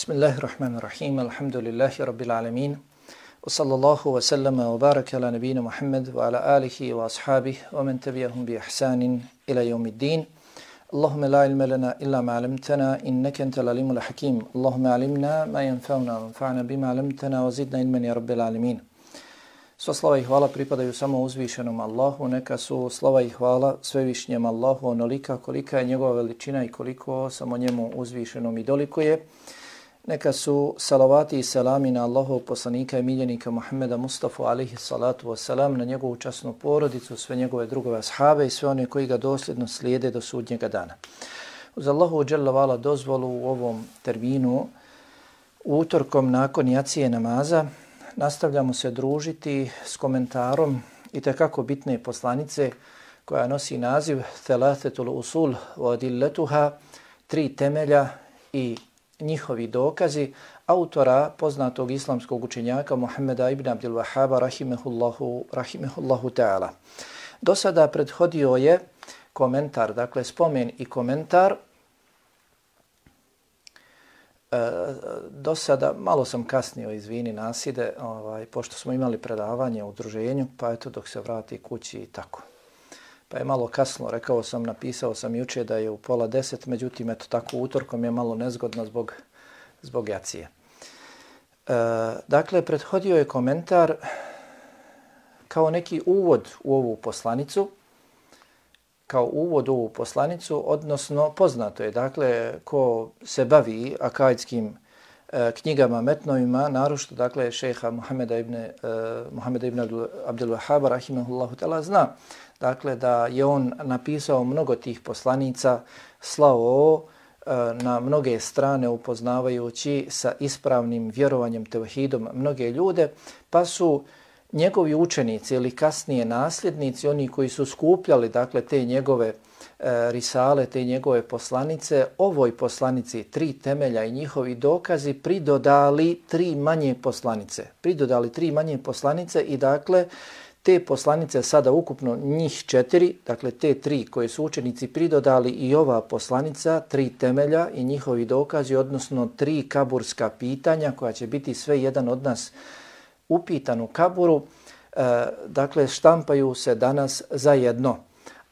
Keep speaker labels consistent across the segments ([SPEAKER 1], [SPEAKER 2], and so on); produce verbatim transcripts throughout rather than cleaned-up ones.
[SPEAKER 1] Bismillahirrahmanirrahim. Alhamdulillahi rabbil alamin. Wa sallallahu wa sallama wa baraka ala nabina Muhammad wa ala alihi wa ashabihi wa man tabi'ahum bi ihsanin ila yawmiddin. Allahumma la ilma lana illa ma 'allamtana innaka antal alimul hakim. Allahumma 'allimna ma yanfa'una wanfa'na bima 'allamtana wa zidna ilman ya rabbil alamin. Sva slava i hvala pripadaju samo uzvišenom Allahu, neka su slava i hvala svevišnjem Allahu onolika kolika je njegova veličina i koliko samo njemu uzvišenom i dolikuje. Neka su salavati i selami na Allahov poslanika i miljenika Muhammeda Mustafa alihi salatu wasalam, na njegovu časnu porodicu, sve njegove drugove ashabe i sve one koji ga dosljedno slijede do sudnjega dana. Uz Allahu dželle vala dozvolu u ovom terminu, utorkom nakon jacije namaza, nastavljamo se družiti s komentarom i tekako bitne poslanice koja nosi naziv Thalathatul usul wa adillatuha, tri temelja i njihovi dokazi, autora poznatog islamskog učenjaka Muhammeda ibn Abdul Wahhaba rahimehullahu, rahimehullahu ta'ala. Do sada prethodio je komentar, dakle spomen i komentar. E, do sada, malo sam kasnio, izvini Naside, ovaj, pošto smo imali predavanje u udruženju, pa eto dok se vrati kući i tako. Pa je malo kasno, rekao sam, napisao sam juče da je u pola deset, međutim, eto tako utorkom je malo nezgodno zbog, zbog jacije. E, dakle, prethodio je komentar kao neki uvod u ovu poslanicu, kao uvod u ovu poslanicu, odnosno poznato je, dakle, ko se bavi akaidskim e, knjigama, metnovima, naročito, dakle, šeha Muhammeda ibn, e, Muhammeda ibn Abdul Wahhaba, rahimahullahu ta'ala, zna, dakle, da je on napisao mnogo tih poslanica, slao e, na mnoge strane upoznavajući sa ispravnim vjerovanjem tevhidom mnoge ljude, pa su njegovi učenici ili kasnije nasljednici, oni koji su skupljali, dakle, te njegove e, risale, te njegove poslanice, ovoj poslanici tri temelja i njihovi dokazi pridodali tri manje poslanice. Pridodali tri manje poslanice i, dakle, te poslanice sada ukupno njih četiri, dakle te tri koje su učenici pridodali i ova poslanica, tri temelja i njihovi dokazi, odnosno tri kaburska pitanja koja će biti sve jedan od nas upitan u kaburu, e, dakle štampaju se danas zajedno.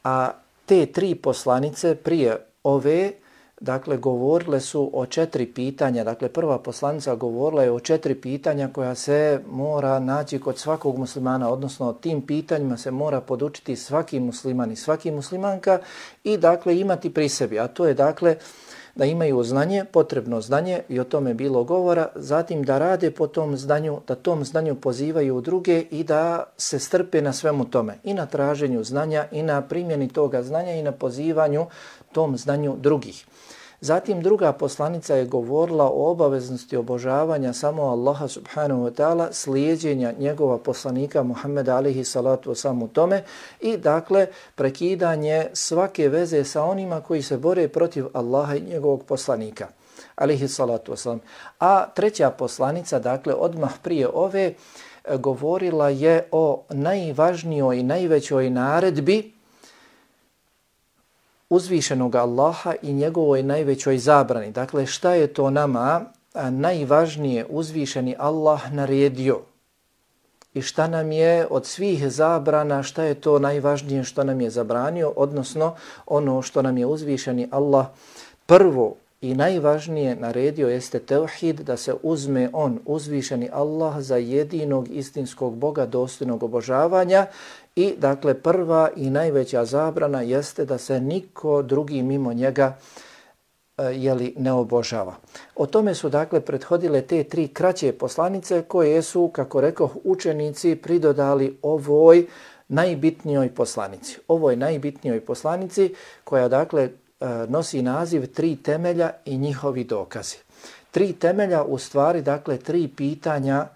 [SPEAKER 1] A te tri poslanice prije ove, dakle, govorile su o četiri pitanja. Dakle, prva poslanica govorila je o četiri pitanja koja se mora naći kod svakog muslimana, odnosno o tim pitanjima se mora podučiti svaki musliman i svaki muslimanka i, dakle, imati pri sebi. A to je, dakle, da imaju znanje, potrebno znanje, i o tome je bilo govora, zatim da rade po tom znanju, da tom znanju pozivaju druge i da se strpe na svemu tome, i na traženju znanja, i na primjeni toga znanja, i na pozivanju tom znanju drugih. Zatim druga poslanica je govorila o obaveznosti obožavanja samo Allaha subhanahu wa ta'ala, slijedjenja njegova poslanika Muhammeda alihi salatu wasalam u tome i, dakle, prekidanje svake veze sa onima koji se bore protiv Allaha i njegovog poslanika alihi salatu wasalam. A treća poslanica, dakle, odmah prije ove, govorila je o najvažnijoj i najvećoj naredbi uzvišenog Allaha i njegovoj najvećoj zabrani. Dakle, šta je to nama najvažnije uzvišeni Allah naredio i šta nam je od svih zabrana, šta je to najvažnije što nam je zabranio, odnosno ono što nam je uzvišeni Allah prvo i najvažnije naredio jeste tevhid, da se uzme on, uzvišeni Allah, za jedinog istinskog Boga dostojnog obožavanja. I, dakle, prva i najveća zabrana jeste da se niko drugi mimo njega e, jeli, ne obožava. O tome su, dakle, prethodile te tri kraće poslanice koje su, kako rekoh, učenici pridodali ovoj najbitnijoj poslanici. Ovoj najbitnijoj poslanici koja, dakle, e, nosi naziv tri temelja i njihovi dokazi. Tri temelja, u stvari, dakle, tri pitanja,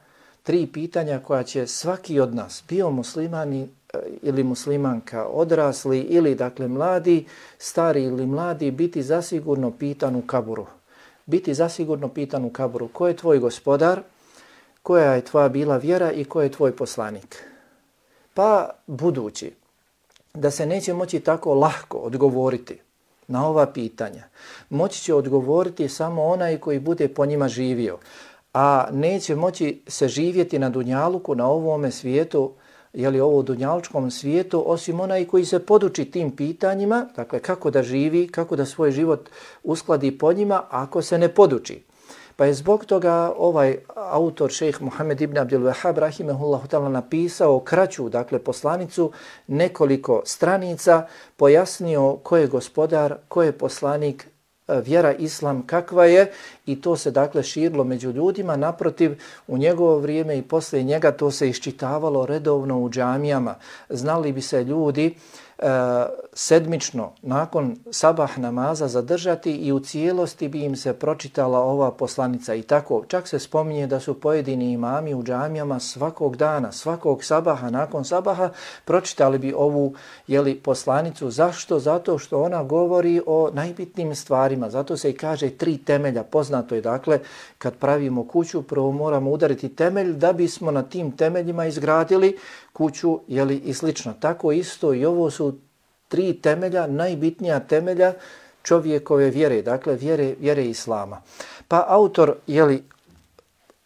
[SPEAKER 1] tri pitanja koja će svaki od nas, bio muslimani ili muslimanka, odrasli ili, dakle, mladi, stari ili mladi, biti zasigurno pitan u kaburu. Biti zasigurno pitan u kaburu. Ko je tvoj gospodar? Koja je tvoja bila vjera i ko je tvoj poslanik? Pa, budući da se neće moći tako lahko odgovoriti na ova pitanja moći će odgovoriti samo onaj koji bude po njima živio, a neće moći se živjeti na dunjaluku, na ovome svijetu, jeli ovo dunjalučkom svijetu, osim onaj koji se poduči tim pitanjima, dakle kako da živi, kako da svoj život uskladi po njima, ako se ne poduči. Pa je zbog toga ovaj autor, šejh Muhammed ibn Abdul Wahhab rahimehullahu ta'ala, napisao kraću, dakle poslanicu, nekoliko stranica, pojasnio ko je gospodar, ko je poslanik, vjera islam kakva je, i to se dakle širilo među ljudima. Naprotiv, u njegovo vrijeme i poslije njega to se iščitavalo redovno u džamijama. Znali bi se ljudi e, sedmično nakon sabah namaza zadržati i u cijelosti bi im se pročitala ova poslanica. I tako, čak se spominje da su pojedini imami u džamijama svakog dana, svakog sabaha, nakon sabaha pročitali bi ovu, jeli, poslanicu. Zašto? Zato što ona govori o najbitnijim stvarima. Zato se i kaže tri temelja. Poznato je, dakle, kad pravimo kuću, prvo moramo udariti temelj da bismo na tim temeljima izgradili kuću, jeli, i slično. Tako isto i ovo su tri temelja, najbitnija temelja čovjekove vjere, dakle vjere, vjere islama. Pa autor, jeli,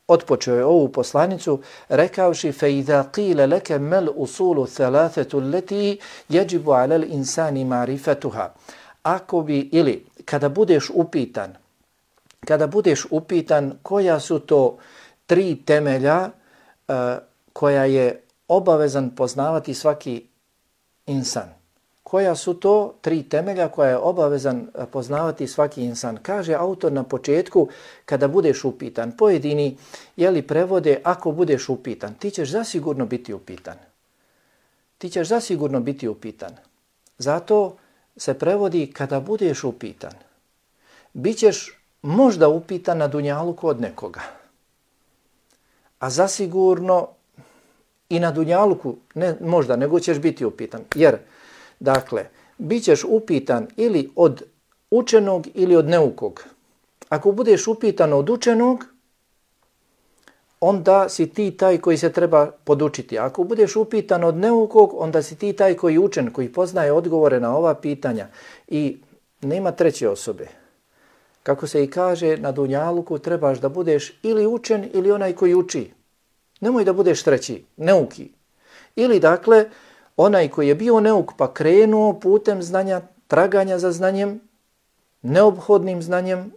[SPEAKER 1] otpočeo je ovu poslanicu rekavši فَإِذَا قِيلَ لَكَ مَلْ أُصُولُ ثَلَاثَةُ الَّتِي يَجِبُ عَلَى الْإِنسَانِ مَعْرِفَتُهَا. Ako bi, ili kada budeš upitan, kada budeš upitan koja su to tri temelja uh, koja je obavezan poznavati svaki insan. Koja su to tri temelja koja je obavezan poznavati svaki insan? Kaže autor na početku, kada budeš upitan. Pojedini, jeli, prevode, ako budeš upitan, ti ćeš zasigurno biti upitan. Ti ćeš zasigurno biti upitan. Zato se prevodi kada budeš upitan. Bićeš možda upitan na dunjaluku od nekoga. A zasigurno i na dunjaluku, ne možda, nego ćeš biti upitan. Jer, dakle, bit ćeš upitan ili od učenog ili od neukog. Ako budeš upitan od učenog, onda si ti taj koji se treba podučiti. Ako budeš upitan od neukog, onda si ti taj koji je učen, koji poznaje odgovore na ova pitanja. I nema treće osobe. Kako se i kaže, na dunjaluku trebaš da budeš ili učen ili onaj koji uči. Nemoj da budeš treći, neuki. Ili, dakle, onaj koji je bio neuk pa krenuo putem znanja, traganja za znanjem, neophodnim znanjem,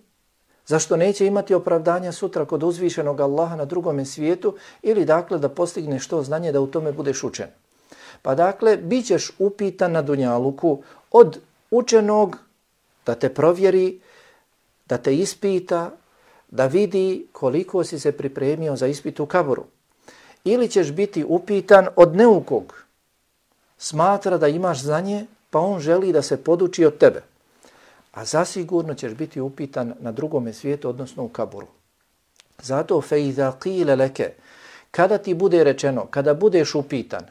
[SPEAKER 1] zašto neće imati opravdanja sutra kod uzvišenog Allaha na drugome svijetu, ili, dakle, da postigneš to znanje da u tome budeš učen. Pa, dakle, bit ćeš upitan na dunjaluku od učenog da te provjeri, da te ispita, da vidi koliko si se pripremio za ispit u kaboru. Ili ćeš biti upitan od neukog, smatra da imaš znanje, pa on želi da se poduči od tebe. A zasigurno ćeš biti upitan na drugome svijetu, odnosno u kaboru. Zato فَإِذَا قِيلَ لَكَ, kada ti bude rečeno, kada budeš upitan,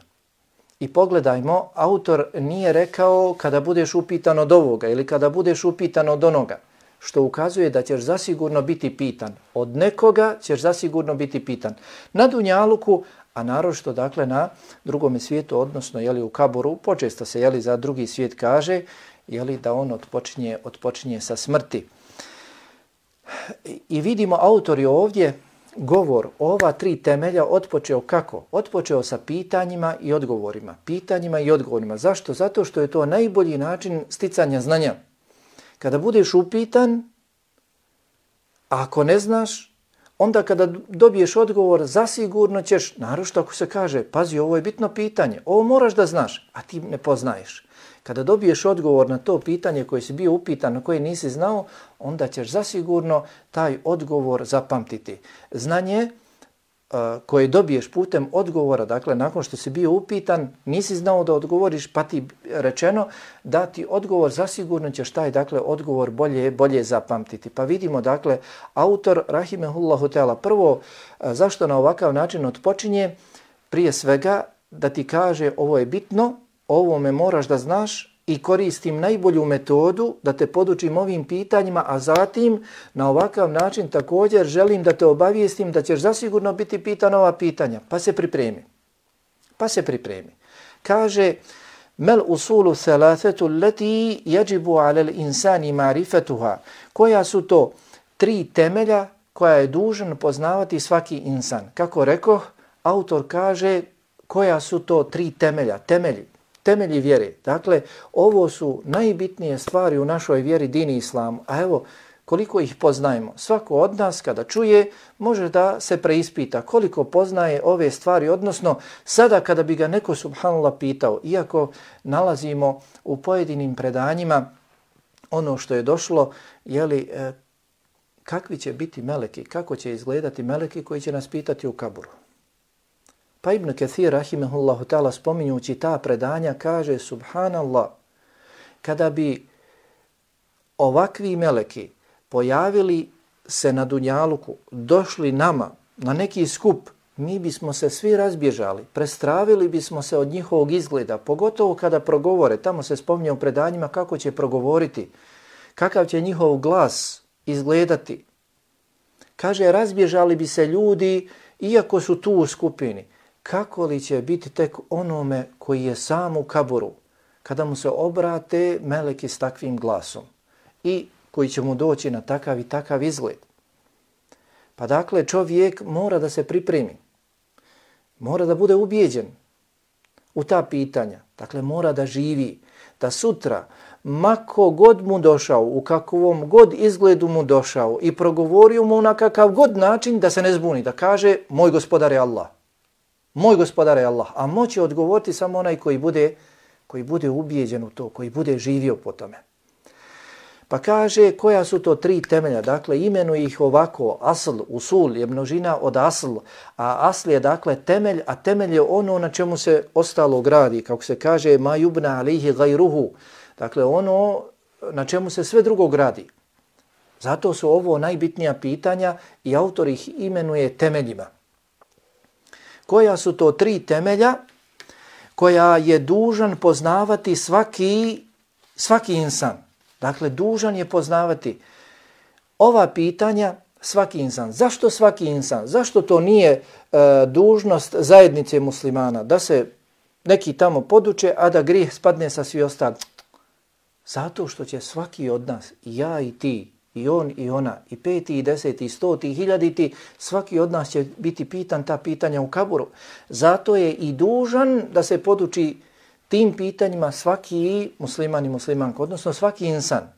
[SPEAKER 1] i pogledajmo, autor nije rekao kada budeš upitan od ovoga ili kada budeš upitan od onoga, što ukazuje da ćeš zasigurno biti pitan. Od nekoga ćeš zasigurno biti pitan. Na dunjaluku, a naročito, dakle, na drugome svijetu, odnosno, jeli, u kaboru, počesto se, jeli, za drugi svijet kaže, jeli, da on odpočinje, odpočinje sa smrti. I vidimo, autor je ovdje govor o ova tri temelja otpočeo kako? Otpočeo sa pitanjima i odgovorima. Pitanjima i odgovorima. Zašto? Zato što je to najbolji način sticanja znanja. Kada budeš upitan, a ako ne znaš, onda kada dobiješ odgovor, zasigurno ćeš, naročito ako se kaže, pazi, ovo je bitno pitanje, ovo moraš da znaš, a ti ne poznaješ. Kada dobiješ odgovor na to pitanje koje si bio upitan, na koje nisi znao, onda ćeš zasigurno taj odgovor zapamtiti. Znanje uh, koje dobiješ putem odgovora, dakle, nakon što si bio upitan, nisi znao da odgovoriš, pa ti rečeno da ti odgovor, zasigurno ćeš taj, dakle, odgovor bolje, bolje zapamtiti. Pa vidimo, dakle, autor, rahimehullahu teala, prvo, uh, zašto na ovakav način odpočinje, prije svega, da ti kaže ovo je bitno, ovo me moraš da znaš i koristim najbolju metodu da te podučim ovim pitanjima, a zatim na ovakav način također želim da te obavijestim da ćeš zasigurno biti pitan ova pitanja. Pa se pripremi. Pa se pripremi. Kaže, Mel usulu thalatatu allati yajibu ala al-insani ma'rifatuha. Koja su to tri temelja koja je dužan poznavati svaki insan? Kako rekoh, autor kaže koja su to tri temelja, temelji, temelji vjere. Dakle, ovo su najbitnije stvari u našoj vjeri, dini islamu. A evo, koliko ih poznajemo. Svako od nas kada čuje može da se preispita koliko poznaje ove stvari, odnosno sada kada bi ga neko subhanallah pitao, iako nalazimo u pojedinim predanjima ono što je došlo, jeli, e, kakvi će biti meleki, kako će izgledati meleki koji će nas pitati u kaburu. Pa Ibn Kathir, rahimehullahu ta'ala, spominjući ta predanja, kaže, subhanallah, kada bi ovakvi meleki pojavili se na dunjaluku, došli nama na neki skup, mi bismo se svi razbježali, prestravili bismo se od njihovog izgleda, pogotovo kada progovore. Tamo se spominje u predanjima kako će progovoriti, kakav će njihov glas izgledati. Kaže, razbježali bi se ljudi, iako su tu u skupini. Kako li će biti tek onome koji je sam u kaburu, kada mu se obrate meleki s takvim glasom i koji će mu doći na takav i takav izgled. Pa dakle, čovjek mora da se pripremi, mora da bude ubijeđen u ta pitanja. Dakle, mora da živi, da sutra, mako god mu došao, u kakvom god izgledu mu došao i progovorio mu na kakav god način, da se ne zbuni, da kaže, moj gospodar je Allah. Moj gospodar je Allah. A moće odgovoriti samo onaj koji bude, koji bude ubijeđen u to, koji bude živio po tome. Pa kaže koja su to tri temelja, dakle imenuje ih ovako, asl, usul je množina od asl, a asl je dakle temelj, a temelj je ono na čemu se ostalo gradi, kako se kaže ma yubna alihi gajruhu, dakle ono na čemu se sve drugo gradi. Zato su ovo najbitnija pitanja i autor ih imenuje temeljima. Koja su to tri temelja koja je dužan poznavati svaki, svaki insan? Dakle, dužan je poznavati ova pitanja svaki insan. Zašto svaki insan? Zašto to nije e, dužnost zajednice muslimana? Da se neki tamo poduče, a da grijeh spadne sa svi ostali. Zato što će svaki od nas, i ja i ti, i on i ona, i peti, i deseti, i stoti, i hiljaditi, svaki od nas će biti pitan ta pitanja u kaburu. Zato je i dužan da se poduči tim pitanjima svaki musliman i muslimanka, odnosno svaki insan.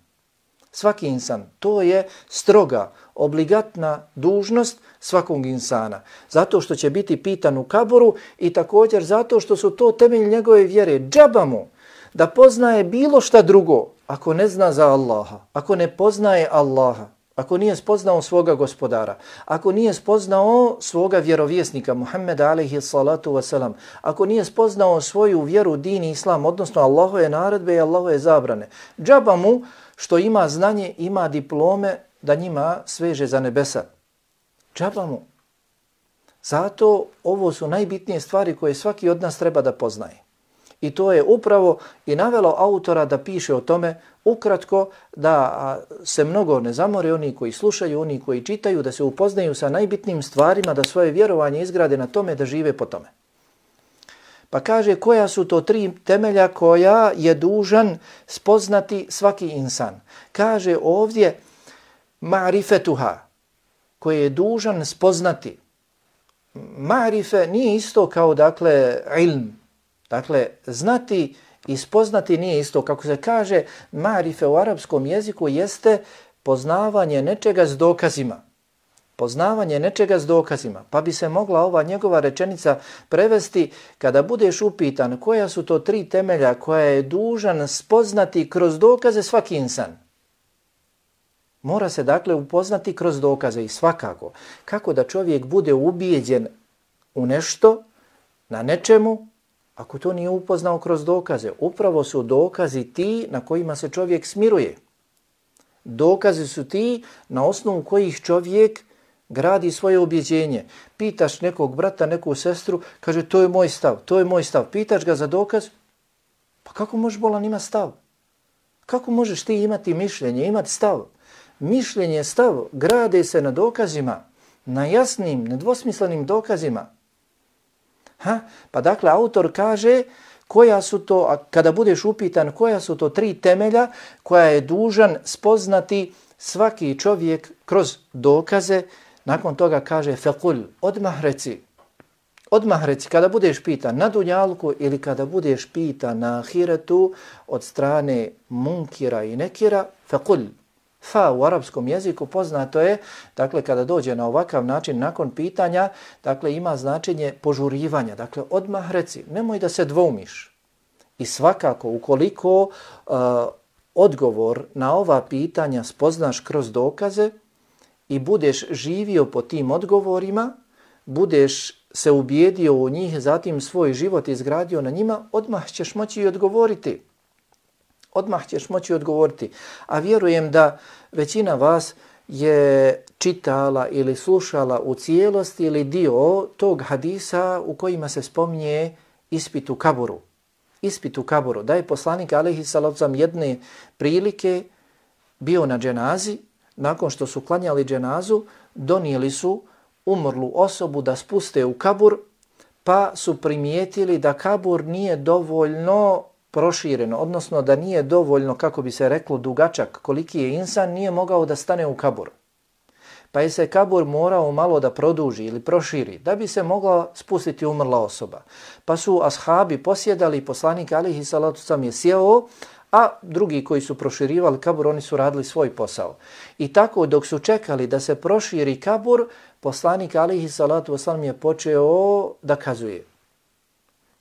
[SPEAKER 1] Svaki insan. To je stroga, obligatna dužnost svakog insana. Zato što će biti pitan u kaburu i također zato što su to temelj njegove vjere. Džaba mu da poznaje bilo šta drugo ako ne zna za Allaha, ako ne poznaje Allaha, ako nije spoznao svoga gospodara, ako nije spoznao svoga vjerovjesnika Muhammeda alejhi salatu wasalam, ako nije spoznao svoju vjeru, din i islam, odnosno Allahove naredbe i Allahove zabrane. Džaba mu što ima znanje, ima diplome da njima sveže za nebesa. Džaba mu. Zato ovo su najbitnije stvari koje svaki od nas treba da poznaje. I to je upravo i navelo autora da piše o tome ukratko, da se mnogo ne zamore oni koji slušaju, oni koji čitaju, da se upoznaju sa najbitnijim stvarima, da svoje vjerovanje izgrade na tome, da žive po tome. Pa kaže koja su to tri temelja koja je dužan spoznati svaki insan. Kaže ovdje ma'rifetuha, koje je dužan spoznati. Ma'rife nije isto kao dakle ilm. Dakle, znati i spoznati nije isto. Kako se kaže, ma'rife u arapskom jeziku jeste poznavanje nečega s dokazima. Poznavanje nečega s dokazima. Pa bi se mogla ova njegova rečenica prevesti kada budeš upitan koja su to tri temelja koja je dužan spoznati kroz dokaze svaki insan. Mora se dakle upoznati kroz dokaze i svakako. Kako da čovjek bude ubijeđen u nešto, na nečemu, ako to nije upoznao kroz dokaze? Upravo su dokazi ti na kojima se čovjek smiruje. Dokazi su ti na osnovu kojih čovjek gradi svoje ubjeđenje. Pitaš nekog brata, neku sestru, kaže to je moj stav, to je moj stav. Pitaš ga za dokaz, pa kako možeš bolan ima stav? Kako možeš ti imati mišljenje, imati stav? Mišljenje, stav grade se na dokazima, na jasnim, nedvosmislenim dokazima. Ha? Pa dakle, autor kaže koja su to, a kada budeš upitan koja su to tri temelja koja je dužan spoznati svaki čovjek kroz dokaze, nakon toga kaže fekul, odmah reci, odmah reci, kada budeš pitan na dunjalku ili kada budeš pitan na ahiretu od strane munkira i nekira, fekul, fa u arapskom jeziku poznato je, dakle kada dođe na ovakav način nakon pitanja, dakle ima značenje požurivanja, dakle odmah reci, nemoj da se dvoumiš. I svakako ukoliko uh, odgovor na ova pitanja spoznaš kroz dokaze i budeš živio po tim odgovorima, budeš se ubijedio u njih, zatim svoj život izgradio na njima, odmah ćeš moći i odgovoriti. Odmah ćeš moći odgovoriti. A vjerujem da većina vas je čitala ili slušala u cijelosti ili dio tog hadisa u kojima se spominje ispit u kaburu. Ispit u kaburu. Da je poslanik alejhi salatu vesselam jedne prilike bio na dženazi, nakon što su klanjali dženazu, donijeli su umrlu osobu da spuste u kabur, pa su primijetili da kabur nije dovoljno prošireno, odnosno da nije dovoljno, kako bi se reklo, dugačak, koliki je insan, nije mogao da stane u kabur. Pa je se kabur morao malo da produži ili proširi, da bi se mogla spustiti umrla osoba. Pa su ashabi posjedali, poslanik alejhi salatu vesselam je sjeo, a drugi koji su proširivali kabur, oni su radili svoj posao. I tako dok su čekali da se proširi kabur, poslanik alejhi salatu vesselam je počeo da kazuje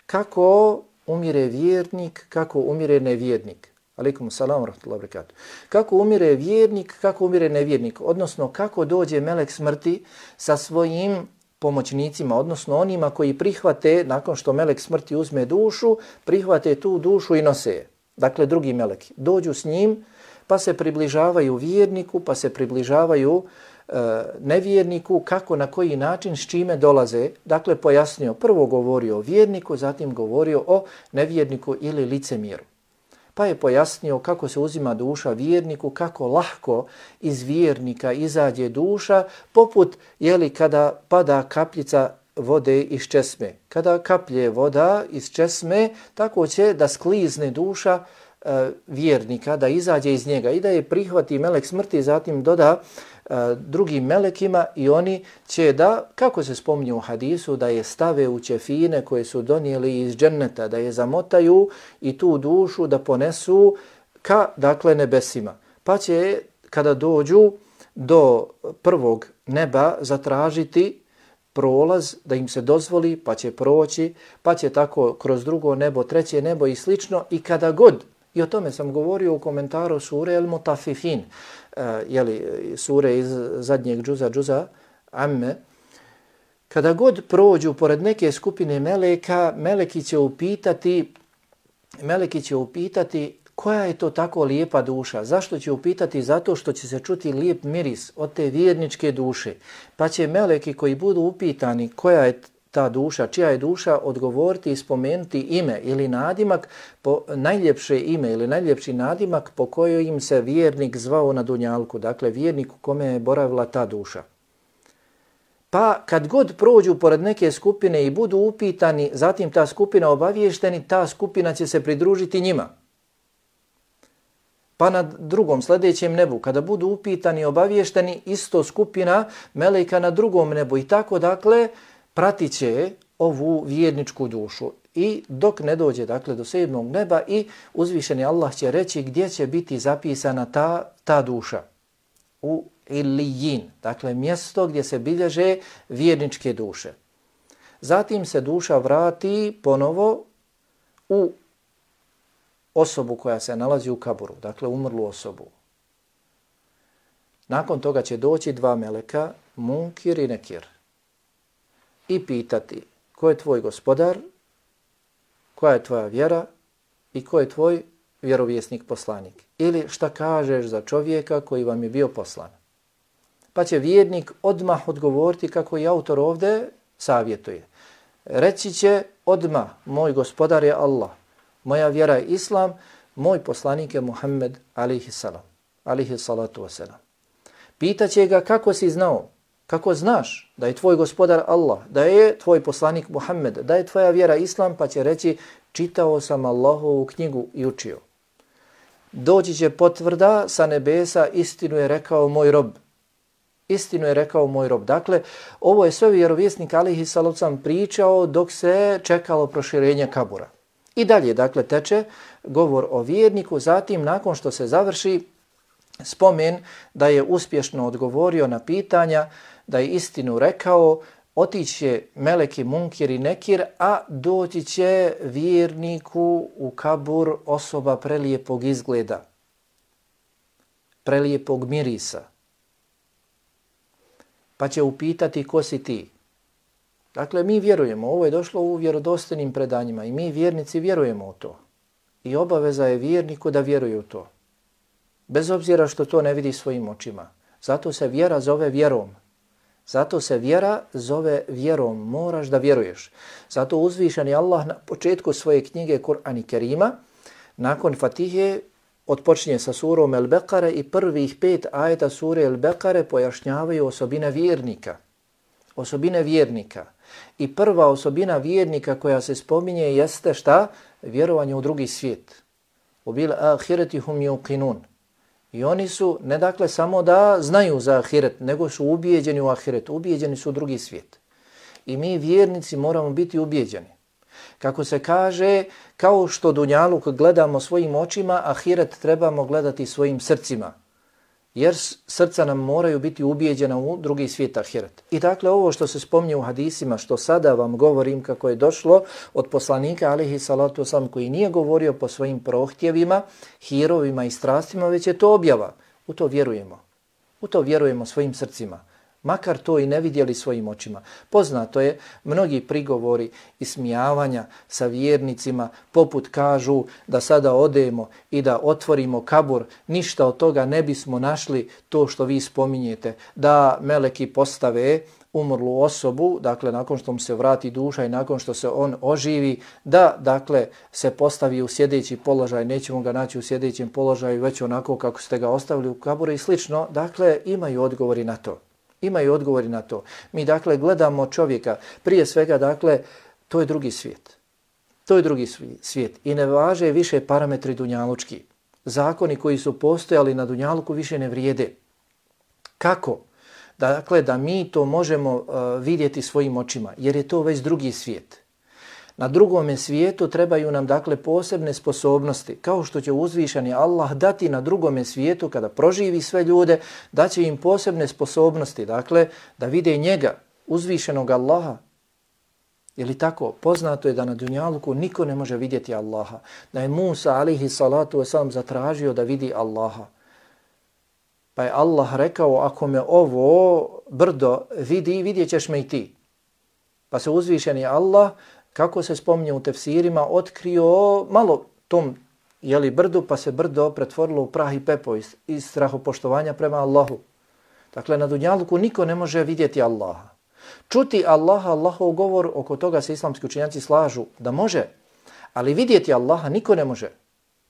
[SPEAKER 1] kako umire vjernik, kako umire nevjernik. Alejkum selam ve rahmetullahi ve berekatuh. Kako umire vjernik, kako umire nevjernik, odnosno kako dođe melek smrti sa svojim pomoćnicima, odnosno onima koji prihvate, nakon što melek smrti uzme dušu, prihvate tu dušu i nose je. Dakle, drugi meleki dođu s njim, pa se približavaju vjerniku, pa se približavaju e, nevjerniku, kako, na koji način, s čime dolaze. Dakle, pojasnio, prvo govorio o vjerniku, zatim govorio o nevjerniku ili licemjeru. Pa je pojasnio kako se uzima duša vjerniku, kako lahko iz vjernika izađe duša, poput, jeli, kada pada kapljica vode iz česme. Kada kaplje voda iz česme, tako će da sklizne duša e, vjernika, da izađe iz njega i da je prihvati melek smrti, zatim doda e, drugim melekima i oni će da, kako se spominje u hadisu, da je stave u ćefine koje su donijeli iz dženneta, da je zamotaju i tu dušu da ponesu ka, dakle, nebesima. Pa će, kada dođu do prvog neba, zatražiti prolaz, da im se dozvoli, pa će proći, pa će tako kroz drugo nebo, treće nebo i slično. I kada god, i o tome sam govorio u komentaru sure El Mutafifin, uh, jeli, sure iz zadnjeg džuza, džuza Amme, kada god prođu pored neke skupine meleka, meleki će upitati, meleki će upitati koja je to tako lijepa duša. Zašto će upitati? Zato što će se čuti lijep miris od te vjerničke duše. Pa će meleki koji budu upitani koja je ta duša, čija je duša, odgovoriti i spomenuti ime ili nadimak, po, najljepše ime ili najljepši nadimak po kojoj im se vjernik zvao na dunjalku. Dakle, vjernik u kome je boravila ta duša. Pa kad god prođu pored neke skupine i budu upitani, zatim ta skupina obaviješteni, ta skupina će se pridružiti njima. Pa na drugom, sljedećem nebu, kada budu upitani i obavješteni, isto skupina meleka na drugom nebu. I tako, dakle, pratit će ovu vjerničku dušu. I dok ne dođe, dakle, do sedmog neba i uzvišeni Allah će reći gdje će biti zapisana ta, ta duša. U Ilijin, dakle, mjesto gdje se bilježe vjerničke duše. Zatim se duša vrati ponovo u osobu koja se nalazi u kaburu, dakle umrlu osobu. Nakon toga će doći dva meleka, Munkir i Nekir, i pitati ko je tvoj gospodar, koja je tvoja vjera i ko je tvoj vjerovjesnik poslanik. Ili šta kažeš za čovjeka koji vam je bio poslan. Pa će vjernik odmah odgovoriti kako i autor ovdje savjetuje. Reći će odmah, moj gospodar je Allah. Moja vjera je Islam, moj poslanik je Muhammed alejhi salam, alejhi salatu vesselam. Pitaće ga kako si znao, Kako znaš da je tvoj gospodar Allah, da je tvoj poslanik Muhammed, da je tvoja vjera Islam, pa će reći čitao sam Allahovu knjigu i učio. Doći će potvrda sa nebesa, istinu je rekao moj rob. Istinu je rekao moj rob. Dakle, ovo je sve vjerovjesnik alejhi salatu vesselam pričao dok se čekalo proširenje kabura. I dalje, dakle, teče govor o vjerniku, zatim nakon što se završi spomen da je uspješno odgovorio na pitanja, da je istinu rekao, otići će meleki Munkir i Nekir, a doći će vjerniku u kabur osoba prelijepog izgleda, prelijepog mirisa. Pa će upitati ko si ti. Dakle, mi vjerujemo, ovo je došlo u vjerodostojnim predanjima i mi vjernici vjerujemo u to. I obaveza je vjerniku da vjeruje u to. Bez obzira što to ne vidi svojim očima. Zato se vjera zove vjerom. Zato se vjera zove vjerom. Moraš da vjeruješ. Zato uzvišeni Allah na početku svoje knjige Kur'an i Kerima, nakon Fatihe, odpočinje sa surom El-Bekare i prvih pet ajeta sure El-Bekare pojašnjavaju osobine vjernika. Osobine vjernika. I prva osobina vjernika koja se spominje jeste šta? Vjerovanje u drugi svijet. Ubil ahireti hum yuqinun. I oni su ne dakle samo da znaju za ahiret, nego su ubijeđeni u ahiret, ubijeđeni su u drugi svijet. I mi vjernici moramo biti ubijeđeni. Kako se kaže, kao što dunjaluk gledamo svojim očima, ahiret trebamo gledati svojim srcima. Jer srca nam moraju biti ubijeđena u drugi svijet ahiret. I dakle ovo što se spominje u hadisima, što sada vam govorim kako je došlo od poslanika alejhi salatu vesselam, koji nije govorio po svojim prohtjevima, hirovima i strastima, već je to objava. U to vjerujemo. U to vjerujemo svojim srcima. Makar to i ne vidjeli svojim očima. Poznato je, mnogi prigovori i smijavanja sa vjernicima, poput kažu da sada odemo i da otvorimo kabur, ništa od toga ne bismo našli to što vi spominjete, da meleki postave umrlu osobu, dakle nakon što mu se vrati duša i nakon što se on oživi, da dakle se postavi u sjedeći položaj, nećemo ga naći u sjedećem položaju, već onako kako ste ga ostavili u kaburu i slično. Dakle, imaju odgovori na to. Imaju odgovori na to. Mi dakle gledamo čovjeka, prije svega dakle, to je drugi svijet. To je drugi svijet. I ne važe više parametri dunjalučki. Zakoni koji su postojali na dunjaluku više ne vrijede. Kako? Dakle, da mi to možemo uh, vidjeti svojim očima, jer je to već drugi svijet. Na drugome svijetu trebaju nam dakle posebne sposobnosti, kao što će uzvišeni Allah dati na drugome svijetu kada proživi sve ljude, da će im posebne sposobnosti, dakle da vide njega, uzvišenog Allaha. Je li tako? Poznato je da na dunjaluku niko ne može vidjeti Allaha. Da je Musa alejhi salatu vesselam zatražio da vidi Allaha. Pa je Allah rekao, ako me ovo brdo vidi, vidjet ćeš me i ti. Pa se uzvišeni Allah, kako se spominje u tefsirima, otkrio malo tom jeli, brdu, pa se brdo pretvorilo u prah i pepo iz, iz strahopoštovanja prema Allahu. Dakle, na dunjaluku niko ne može vidjeti Allaha. Čuti Allaha, Allahov govor, oko toga se islamski učenjaci slažu da može, ali vidjeti Allaha niko ne može.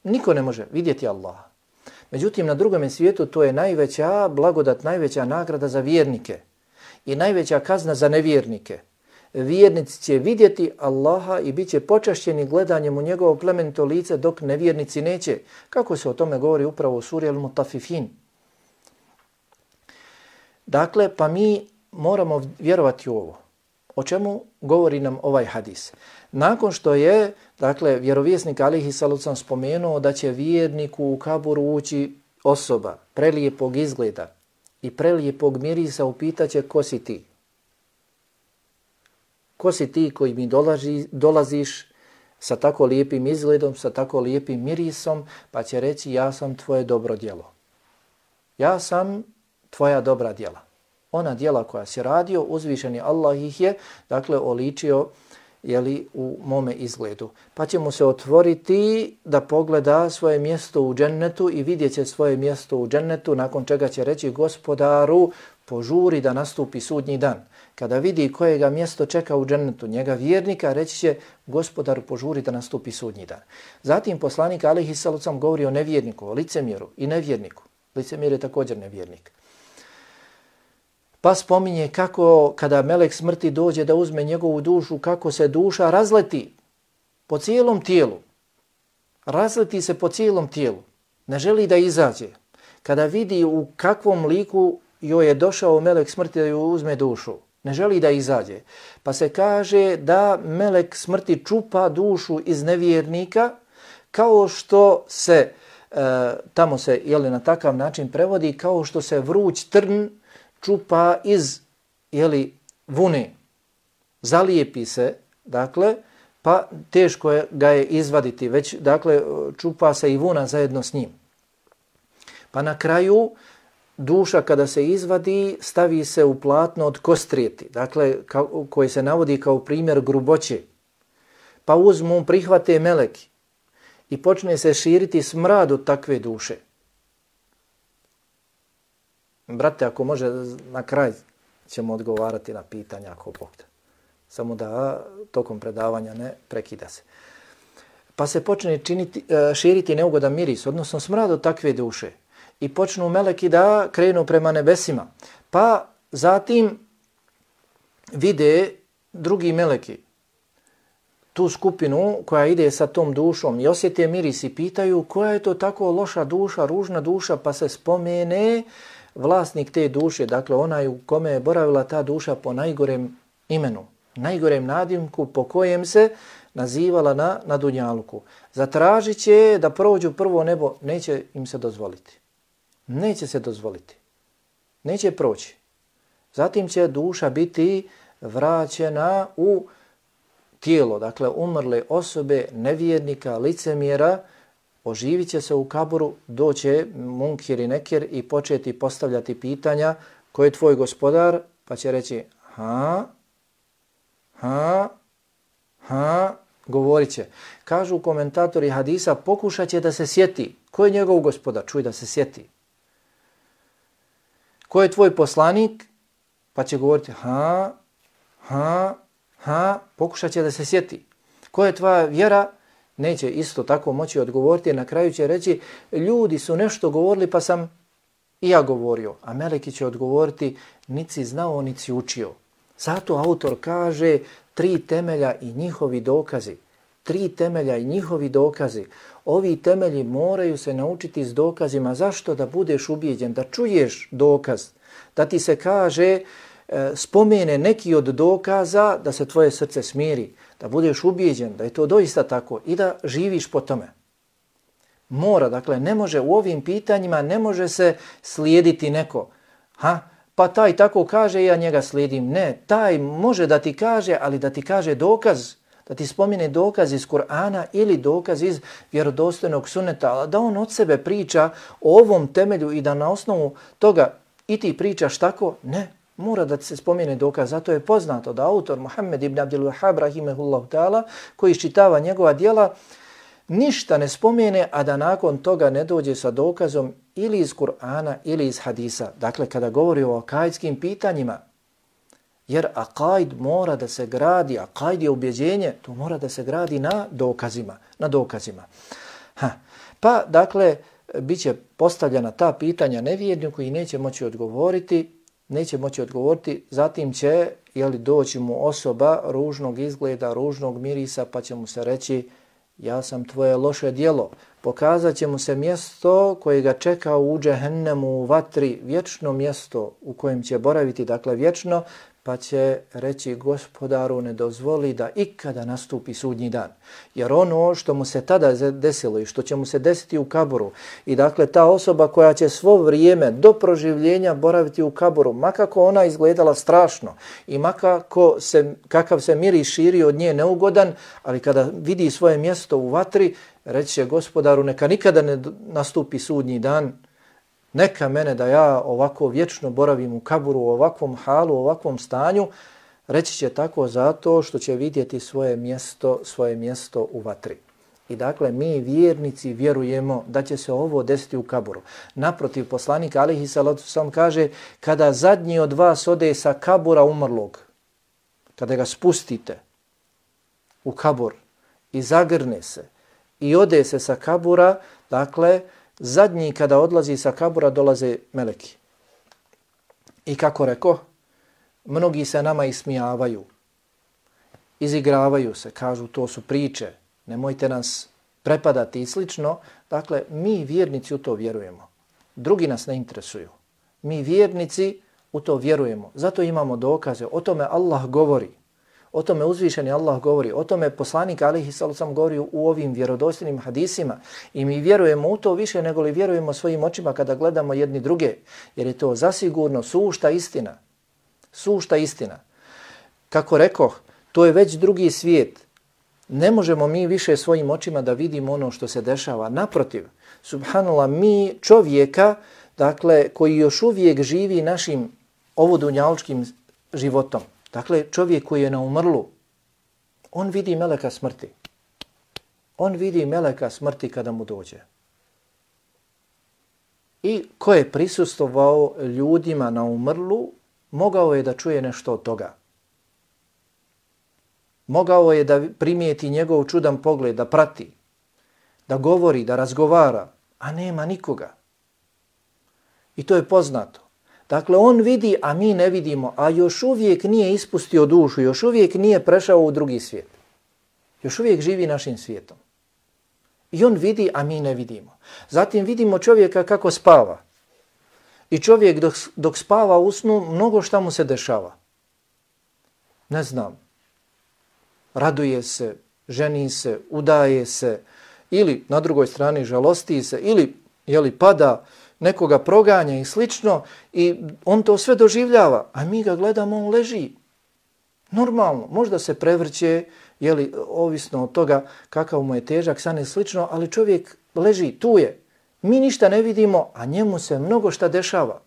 [SPEAKER 1] Niko ne može vidjeti Allaha. Međutim, na drugom svijetu to je najveća blagodat, najveća nagrada za vjernike i najveća kazna za nevjernike. Vjernici će vidjeti Allaha i bit će počašćeni gledanjem u njegovo plemenito lice, dok nevjernici neće. Kako se o tome govori upravo u suri Al-Mutafifin. Dakle, pa mi moramo vjerovati u ovo. O čemu govori nam ovaj hadis? Nakon što je, dakle, vjerovjesnik alejhi salatu vesselam spomenuo da će vjerniku u kaburu ući osoba prelijepog izgleda i prelijepog mirisa, upitaće ko si ti? Ko si ti koji mi dolazi, dolaziš sa tako lijepim izgledom, sa tako lijepim mirisom, pa će reći ja sam tvoje dobro djelo. Ja sam tvoja dobra djela. Ona djela koja si radio, uzvišeni Allah ih je, dakle, oličio jeli, u mome izgledu. Pa će mu se otvoriti da pogleda svoje mjesto u džennetu i vidjet će svoje mjesto u džennetu, nakon čega će reći gospodaru, požuri da nastupi sudnji dan. Kada vidi kojega mjesto čeka u džennetu, njega vjernika, reći će gospodaru, požuri da nastupi sudnji dan. Zatim poslanik alejhi salatu vesselam govori o nevjerniku, o licemjeru i nevjerniku. Licemjer je također nevjernik. Pa spominje kako kada melek smrti dođe da uzme njegovu dušu, kako se duša razleti po cijelom tijelu. Razleti se po cijelom tijelu. Ne želi da izađe. Kada vidi u kakvom liku joj je došao melek smrti da joj uzme dušu, ne želi da izađe. Pa se kaže da melek smrti čupa dušu iz nevjernika, kao što se, e, tamo se jeli, na takav način prevodi, kao što se vruć trn čupa iz jeli, vune. Zalijepi se, dakle, pa teško je ga je izvaditi, već dakle čupa se i vuna zajedno s njim. Pa na kraju duša kada se izvadi stavi se u platno od kostrijeti, dakle kao, koji se navodi kao primjer gruboće. Pa uzmu, prihvate meleki i počne se širiti smrad od takve duše. Brate, ako može na kraj ćemo odgovarati na pitanja ako Bog da. Samo da tokom predavanja ne prekida se. Pa se počne činiti, širiti neugodan miris, odnosno smrad od takve duše. I počnu meleki da krenu prema nebesima. Pa zatim vide drugi meleki tu skupinu koja ide sa tom dušom i osjete miris i pitaju koja je to tako loša duša, ružna duša, pa se spomene vlasnik te duše, dakle onaj u kome je boravila ta duša po najgorem imenu, najgorem nadimku po kojem se nazivala na, na dunjaluku. Zatražit će da prođu prvo nebo, neće im se dozvoliti. Neće se dozvoliti. Neće proći. Zatim će duša biti vraćena u tijelo, dakle umrle osobe, nevjernika, licemjera, oživit će se u kaburu, doće munkir i nekir i početi postavljati pitanja ko je tvoj gospodar, pa će reći ha, ha, ha, govorit će. Kažu komentatori hadisa, pokušat će da se sjeti ko je njegov gospodar, čuj da se sjeti. Ko je tvoj poslanik, pa će govoriti ha, ha, ha, pokušat će da se sjeti. Ko je tvoja vjera, neće isto tako moći odgovoriti, na kraju će reći ljudi su nešto govorili pa sam i ja govorio, a meleki će odgovoriti nici znao, nici učio. Zato autor kaže tri temelja i njihovi dokazi. Tri temelja i njihovi dokazi. Ovi temelji moraju se naučiti s dokazima. Zašto? Da budeš ubijeđen, da čuješ dokaz, da ti se kaže, e, spomene neki od dokaza, da se tvoje srce smiri, da budeš ubijeđen, da je to doista tako i da živiš po tome. Mora, dakle, ne može u ovim pitanjima, ne može se slijediti neko. Ha? Pa taj tako kaže, ja njega slijedim. Ne, taj može da ti kaže, ali da ti kaže dokaz, da ti spomine dokaz iz Kur'ana ili dokaz iz vjerodostojnog suneta, da on od sebe priča o ovom temelju i da na osnovu toga i ti pričaš tako, ne, mora da ti se spomine dokaz. Zato je poznato da autor Muhammed ibn Abdul Wahhab rahimehullahu ta'ala, koji iščitava njegova djela, ništa ne spomene, a da nakon toga ne dođe sa dokazom ili iz Kur'ana ili iz hadisa. Dakle, kada govori o akajdskim pitanjima, jer akajd mora da se gradi, akajd je ubjeđenje, to mora da se gradi na dokazima. Na dokazima. Ha. Pa, dakle, bit će postavljena ta pitanja nevjerniku i neće moći odgovoriti, neće moći odgovoriti, zatim će jeli, doći mu osoba ružnog izgleda, ružnog mirisa, pa će mu se reći ja sam tvoje loše djelo. Pokazat će mu se mjesto koje ga čeka u džehennemu, u vatri, vječno mjesto u kojem će boraviti, dakle vječno, pa će reći gospodaru ne dozvoli da ikada nastupi sudnji dan. Jer ono što mu se tada desilo i što će mu se desiti u kaburu i dakle ta osoba koja će svo vrijeme do proživljenja boraviti u kaburu, makako ona izgledala strašno i makako se, kakav se miris širi od nje neugodan, ali kada vidi svoje mjesto u vatri, reći će gospodaru neka nikada ne nastupi sudnji dan, neka mene da ja ovako vječno boravim u kaburu, u ovakvom halu, u ovakvom stanju, reći će tako zato što će vidjeti svoje mjesto, svoje mjesto u vatri. I dakle, mi vjernici vjerujemo da će se ovo desiti u kaburu. Naprotiv, poslanik alejhi salatu vesselam kaže, kada zadnji od vas ode sa kabura umrlog, kada ga spustite u kabur i zagrne se i ode se sa kabura, dakle, zadnji kada odlazi sa kabura dolaze meleki. I kako reko, mnogi se nama ismijavaju, izigravaju se, kažu to su priče, nemojte nas prepadati i slično. Dakle, mi vjernici u to vjerujemo. Drugi nas ne interesuju. Mi vjernici u to vjerujemo. Zato imamo dokaze. O tome Allah govori. O tome uzvišeni Allah govori. O tome poslanik alejhi salatu vesselam govori u ovim vjerodostojnim hadisima. I mi vjerujemo u to više nego li vjerujemo svojim očima kada gledamo jedni druge. Jer je to zasigurno sušta istina. Sušta istina. Kako rekoh, to je već drugi svijet. Ne možemo mi više svojim očima da vidimo ono što se dešava. Naprotiv, subhanallah, mi čovjeka, dakle, koji još uvijek živi našim ovodunjalučkim životom, dakle, čovjek koji je na umrlu, on vidi meleka smrti. On vidi meleka smrti kada mu dođe. I ko je prisustvovao ljudima na umrlu, mogao je da čuje nešto od toga. Mogao je da primijeti njegov čudan pogled, da prati, da govori, da razgovara, a nema nikoga. I to je poznato. Dakle, on vidi, a mi ne vidimo, a još uvijek nije ispustio dušu, još uvijek nije prešao u drugi svijet. Još uvijek živi našim svijetom. I on vidi, a mi ne vidimo. Zatim vidimo čovjeka kako spava. I čovjek dok, dok spava u snu, mnogo šta mu se dešava. Ne znam. Raduje se, ženi se, udaje se, ili na drugoj strani žalosti se, ili jeli, pada, nekoga proganja i slično, i on to sve doživljava, a mi ga gledamo, on leži. Normalno, možda se prevrće, jeli, ovisno od toga kakav mu je težak, san i slično, ali čovjek leži, tu je. Mi ništa ne vidimo, a njemu se mnogo šta dešava.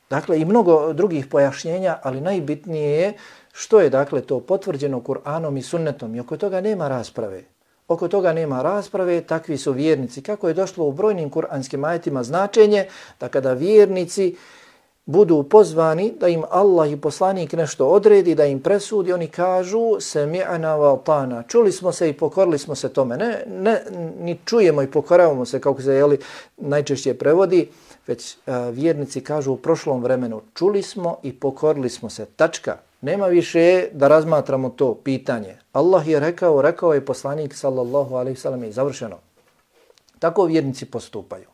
[SPEAKER 1] Dakle, i mnogo drugih pojašnjenja, ali najbitnije je što je, dakle, to potvrđeno Kur'anom i sunnetom, i oko toga nema rasprave. Oko toga nema rasprave, takvi su vjernici. Kako je došlo u brojnim kuranskim ajetima značenje da kada vjernici budu pozvani da im Allah i poslanik nešto odredi, da im presudi, oni kažu sami'na wa ata'na. Čuli smo se i pokorili smo se tome. Ne, ne ni čujemo i pokoravamo se, kako se jeli, najčešće prevodi, već a, vjernici kažu u prošlom vremenu čuli smo i pokorili smo se. Tačka. Nema više da razmatramo to pitanje. Allah je rekao, rekao je poslanik sallallahu alejhi ve sellem i završeno. Tako vjernici postupaju.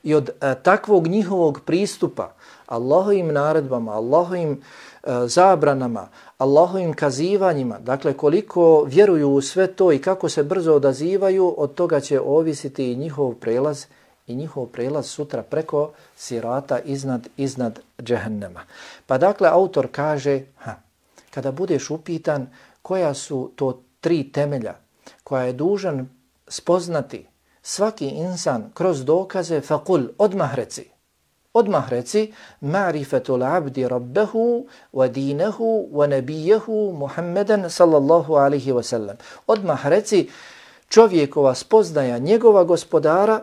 [SPEAKER 1] I od a, takvog njihovog pristupa Allahovim naredbama, Allahovim a, zabranama, Allahovim kazivanjima, dakle koliko vjeruju u sve to i kako se brzo odazivaju, od toga će ovisiti i njihov prelaz i njihov prelaz sutra preko sirata iznad, iznad džehennema. Pa dakle, autor kaže, ha, kada budeš upitan koja su to tri temelja koja je dužan spoznati svaki insan kroz dokaze, faqul, odmah reci. Odmah reci, ma'rifetul abdi rabbehu wa dinehu wa nabijehu Muhammeden sallallahu alaihi wa sallam. Odmah reci, čovjekova spoznaja njegova gospodara,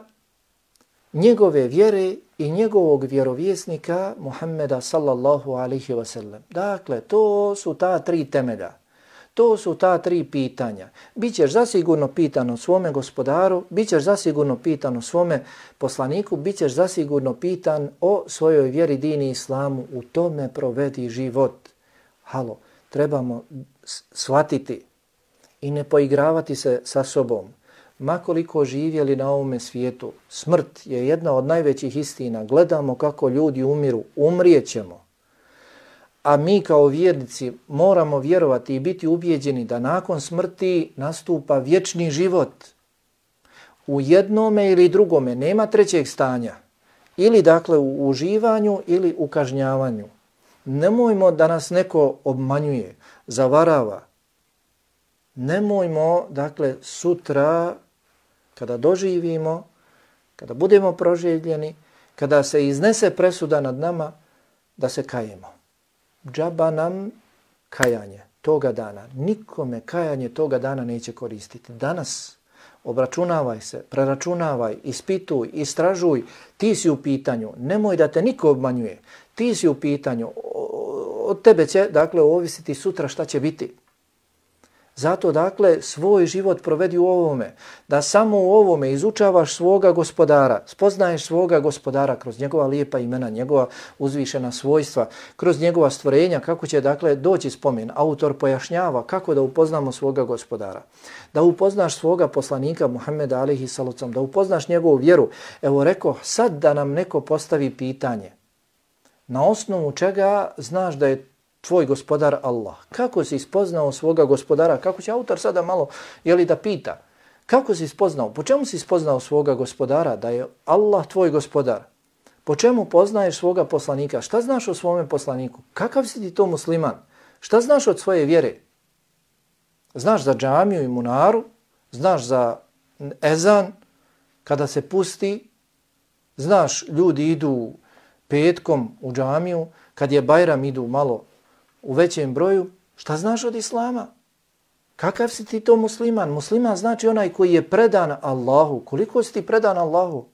[SPEAKER 1] njegove vjere i njegovog vjerovjesnika Muhammeda sallallahu alaihi wa sallam. Dakle, to su ta tri temelja. To su ta tri pitanja. Bićeš zasigurno pitan o svome gospodaru, bićeš zasigurno pitan o svome poslaniku, bićeš zasigurno pitan o svojoj vjeri, dini, islamu. U tome provedi život. Halo, trebamo shvatiti i ne poigravati se sa sobom. Makoliko živjeli na ovome svijetu, smrt je jedna od najvećih istina. Gledamo kako ljudi umiru, umrijećemo. A mi kao vjernici moramo vjerovati i biti ubijeđeni da nakon smrti nastupa vječni život. U jednome ili drugome nema trećeg stanja. Ili dakle u uživanju ili u kažnjavanju. Nemojmo da nas neko obmanjuje, zavarava. Nemojmo, dakle, sutra kada doživimo, kada budemo proživljeni, kada se iznese presuda nad nama, da se kajemo. Džaba nam kajanje toga dana. Nikome kajanje toga dana neće koristiti. Danas obračunavaj se, preračunavaj, ispituj, istražuj. Ti si u pitanju. Nemoj da te niko obmanjuje. Ti si u pitanju. Od tebe će, dakle, ovisiti sutra šta će biti. Zato dakle svoj život provedi u ovome, da samo u ovome izučavaš svoga gospodara, spoznaješ svoga gospodara kroz njegova lijepa imena, njegova uzvišena svojstva, kroz njegova stvorenja, kako će dakle doći spomen. Autor pojašnjava kako da upoznamo svoga gospodara, da upoznaš svoga poslanika Muhammeda alejhi salatu, da upoznaš njegovu vjeru. Evo rekao, sad da nam neko postavi pitanje, na osnovu čega znaš da je tvoj gospodar Allah? Kako si spoznao svoga gospodara? Kako će autor sada malo jeli, da pita? Kako si spoznao? Po čemu si spoznao svoga gospodara? Da je Allah tvoj gospodar. Po čemu poznaješ svoga poslanika? Šta znaš o svome poslaniku? Kakav si ti to musliman? Šta znaš od svoje vjere? Znaš za džamiju i munaru? Znaš za ezan kada se pusti? Znaš, ljudi idu petkom u džamiju, kad je Bajram idu malo u većem broju. Šta znaš od islama? Kakav si ti to musliman? Musliman znači onaj koji je predan Allahu. Koliko si ti predan Allahu?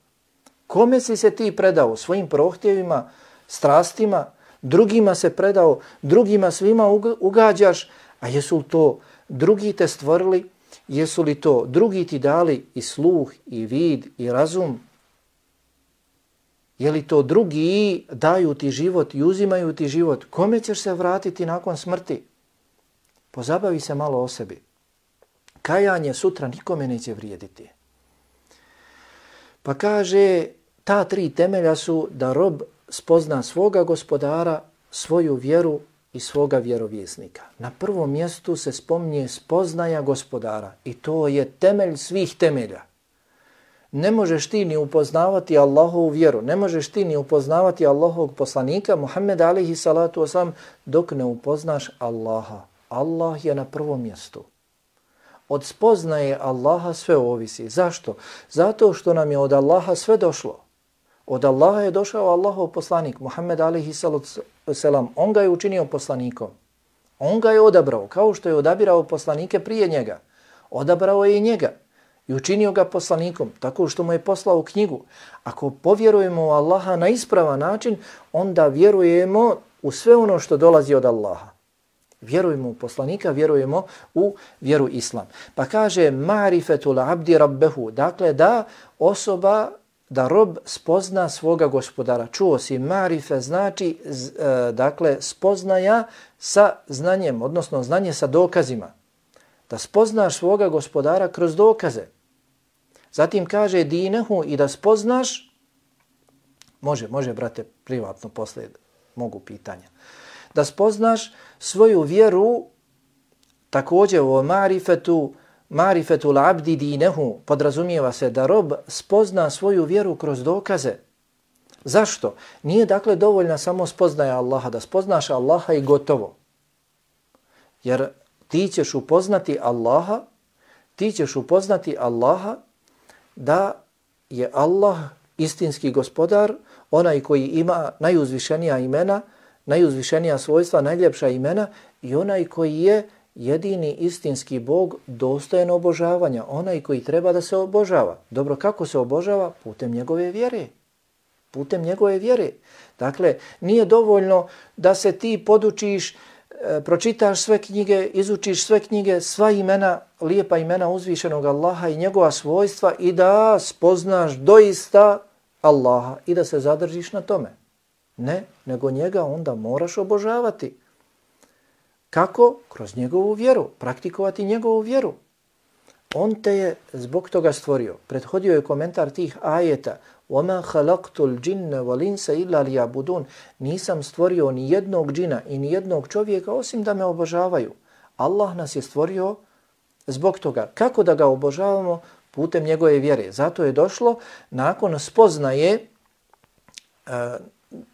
[SPEAKER 1] Kome si se ti predao? Svojim prohtjevima, strastima, drugima se predao, drugima svima ugađaš, a jesu li to drugi te stvorili? Jesu li to drugi ti dali i sluh, i vid, i razum? Je li to drugi daju ti život i uzimaju ti život? Kome ćeš se vratiti nakon smrti? Pozabavi se malo o sebi. Kajanje sutra nikome neće vrijediti. Pa kaže, ta tri temelja su da rob spozna svoga gospodara, svoju vjeru i svoga vjerovjesnika. Na prvom mjestu se spominje spoznaja gospodara i to je temelj svih temelja. Ne možeš ti ni upoznavati Allahovu vjeru, ne možeš ti ni upoznavati Allahovog poslanika Muhammeda alejhi salatu vesselam dok ne upoznaš Allaha. Allah je na prvom mjestu. Od spoznaje Allaha sve ovisi. Zašto? Zato što nam je od Allaha sve došlo. Od Allaha je došao Allahov poslanik Muhammed alejhi salatu vesselam. On ga je učinio poslanikom. On ga je odabrao, kao što je odabirao poslanike prije njega. Odabrao je i njega i učinio ga poslanikom, tako što mu je poslao knjigu. Ako povjerujemo u Allaha na ispravan način, onda vjerujemo u sve ono što dolazi od Allaha. Vjerujemo u poslanika, vjerujemo u vjeru islam. Pa kaže ma'rifetul abdi rabbehu, dakle da osoba, da rob spozna svoga gospodara. Čuo si, ma'rife znači e, dakle spoznaja sa znanjem, odnosno znanje sa dokazima. Da spoznaš svoga gospodara kroz dokaze. Zatim kaže dinehu i da spoznaš, može, može brate, privatno poslije mogu pitanja. Da spoznaš svoju vjeru, također u marifetu, marifetul abdi dinehu, podrazumijeva se da rob spozna svoju vjeru kroz dokaze. Zašto? Nije dakle dovoljna samo spoznaja Allaha, da spoznaš Allaha i gotovo. Jer ti ćeš upoznati Allaha, ti ćeš upoznati Allaha da je Allah istinski gospodar, onaj koji ima najuzvišenija imena, najuzvišenija svojstva, najljepša imena i onaj koji je jedini istinski Bog dostojan obožavanja, onaj koji treba da se obožava. Dobro, kako se obožava? Putem njegove vjere. Putem njegove vjere. Dakle, nije dovoljno da se ti podučiš, e, pročitaš sve knjige, izučiš sve knjige, sva imena, lijepa imena uzvišenog Allaha i njegova svojstva i da spoznaš doista Allaha i da se zadržiš na tome. Ne, nego njega onda moraš obožavati. Kako? Kroz njegovu vjeru, praktikovati njegovu vjeru. On te je zbog toga stvorio. Prethodio je komentar tih ajeta. وَمَا خَلَقْتُ الْجِنَّ وَلِنْسَ إِلَّا لِيَعْبُدُونَ. Nisam stvorio ni jednog džina i ni jednog čovjeka osim da me obožavaju. Allah nas je stvorio zbog toga. Kako da ga obožavamo? Putem njegove vjere. Zato je došlo nakon spoznaje uh,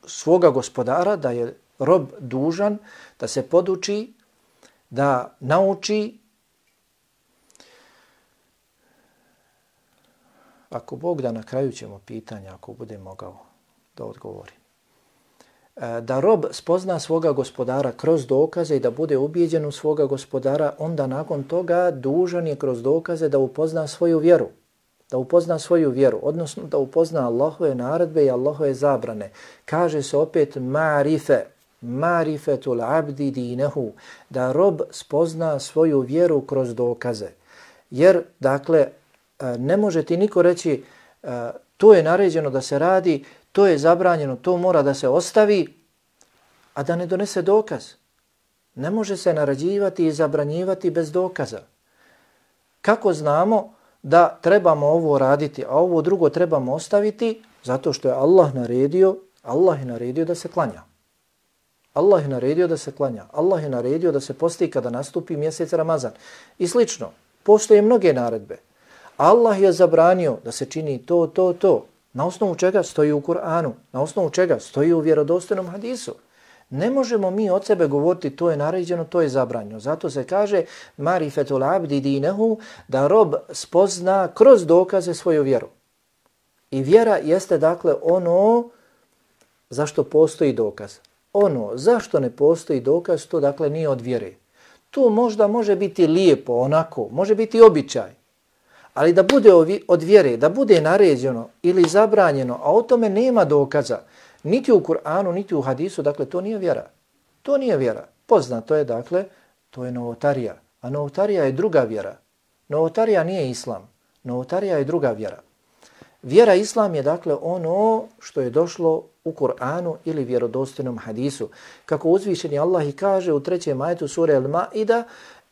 [SPEAKER 1] svoga gospodara da je rob dužan da se poduči, da nauči. Ako Bog da, na kraju ćemo pitanja, ako bude mogao da odgovori. Da rob spozna svoga gospodara kroz dokaze i da bude ubijeđen u svoga gospodara, onda nakon toga dužan je kroz dokaze da upozna svoju vjeru. Da upozna svoju vjeru, odnosno da upozna Allahove naredbe i Allahove zabrane. Kaže se opet ma'rife, marifetul abdi dinehu, da rob spozna svoju vjeru kroz dokaze. Jer, dakle, ne može ti niko reći to je naređeno da se radi, to je zabranjeno, to mora da se ostavi, a da ne donese dokaz. Ne može se naređivati i zabranjivati bez dokaza. Kako znamo da trebamo ovo raditi, a ovo drugo trebamo ostaviti? Zato što je Allah naredio, Allah je naredio da se klanja. Allah je naredio da se klanja. Allah je naredio da se posti kada nastupi mjesec Ramazan. I slično, postoje mnoge naredbe. Allah je zabranio da se čini to, to, to. Na osnovu čega stoji u Kur'anu? Na osnovu čega stoji u vjerodostojnom hadisu? Ne možemo mi od sebe govoriti to je naređeno, to je zabranjeno. Zato se kaže marifetul abdi dinehu, da rob spozna kroz dokaze svoju vjeru. I vjera jeste dakle ono zašto postoji dokaz. Ono zašto ne postoji dokaz, to dakle nije od vjere. To možda može biti lijepo, onako, može biti običaj. Ali da bude od vjere, da bude naređeno ili zabranjeno, a o tome nema dokaza, niti u Kur'anu, niti u hadisu, dakle to nije vjera. To nije vjera. Poznato je, dakle, to je novotarija. A novotarija je druga vjera. Novotarija nije islam. Novotarija je druga vjera. Vjera islam je, dakle, ono što je došlo u Kur'anu ili vjerodostojnom hadisu. Kako uzvišeni Allah i kaže u trećem ajetu sure Al-Ma'ida,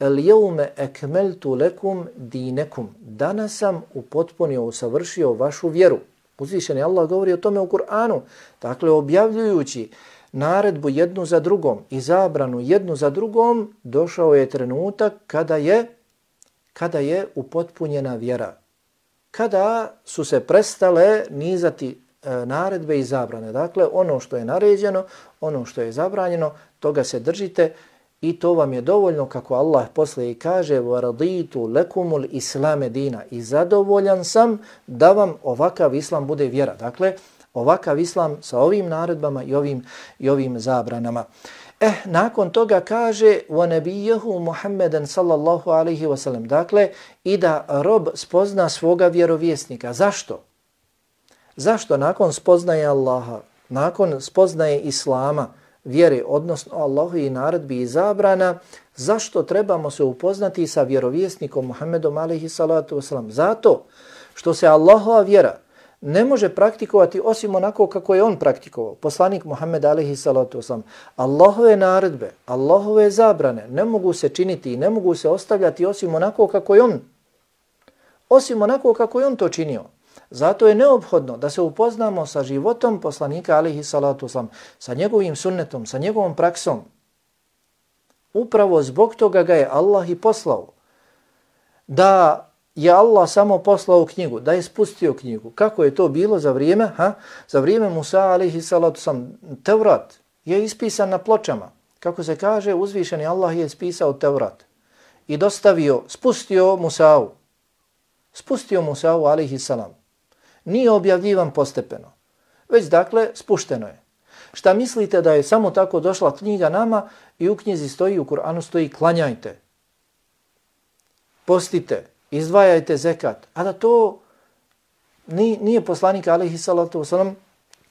[SPEAKER 1] El-jevme ekmeltu lekum dinekum. Danas sam upotpunio, usavršio vašu vjeru. Uzvišeni Allah govori o tome u Kur'anu. Dakle, objavljujući naredbu jednu za drugom i zabranu jednu za drugom, došao je trenutak kada je, kada je upotpunjena vjera. Kada su se prestale nizati e, naredbe i zabrane. Dakle, ono što je naređeno, ono što je zabranjeno, toga se držite i to vam je dovoljno, kako Allah posle i kaže وَرَضِيتُ لَكُمُ الْإِسْلَامَ دِينَ i zadovoljan sam da vam ovakav islam bude vjera. Dakle, ovakav islam sa ovim naredbama i ovim, i ovim zabranama. Eh, nakon toga kaže وَنَبِيَّهُ مُحَمَّدًا sallallahu alaihi wasallam. Dakle, i da rob spozna svoga vjerovjesnika. Zašto? Zašto nakon spoznaje Allaha, nakon spoznaje Islama, vjere, odnosno Allahu i naredbi i zabrana, zašto trebamo se upoznati sa vjerovjesnikom Muhammedom alaihi salatu wasalam? Zato što se Allahova vjera ne može praktikovati osim onako kako je on praktikovao. Poslanik Muhammed alaihi salatu wasalam. Allahove naredbe, Allahove zabrane ne mogu se činiti i ne mogu se ostavljati osim onako kako je on. Osim onako kako je on to činio. Zato je neophodno da se upoznamo sa životom poslanika alaihi salatu wasalam, sa njegovim sunnetom, sa njegovom praksom. Upravo zbog toga ga je Allah i poslao. Da je Allah samo poslao knjigu, da je spustio knjigu. Kako je to bilo za vrijeme? Ha? Za vrijeme Musa alaihi salatu wasalam. Tevrat je ispisan na pločama. Kako se kaže, uzvišeni Allah je ispisao Tevrat i dostavio, spustio Musa'u. Spustio Musa'u alaihi salam. Nije objavljivan postepeno, već dakle spušteno je. Šta mislite da je samo tako došla knjiga nama i u knjizi stoji, u Kur'anu stoji klanjajte, postite, izdvajajte zekat, a da to nije, nije poslanik alejhi salatu vesselam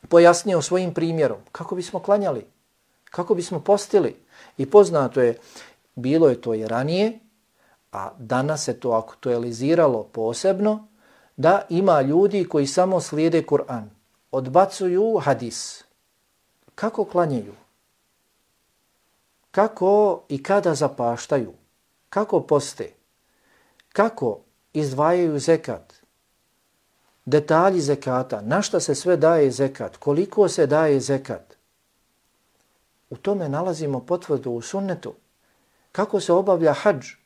[SPEAKER 1] pojasnio svojim primjerom. Kako bismo klanjali, kako bismo postili. I poznato je, bilo je to i ranije, a danas se to aktualiziralo posebno, da ima ljudi koji samo slijede Kur'an, odbacuju hadis. Kako klanjaju? Kako i kada zapaštaju? Kako poste? Kako izdvajaju zekat? Detalji zekata, na šta se sve daje zekat, koliko se daje zekat? U tome nalazimo potvrdu u sunnetu. Kako se obavlja hadž?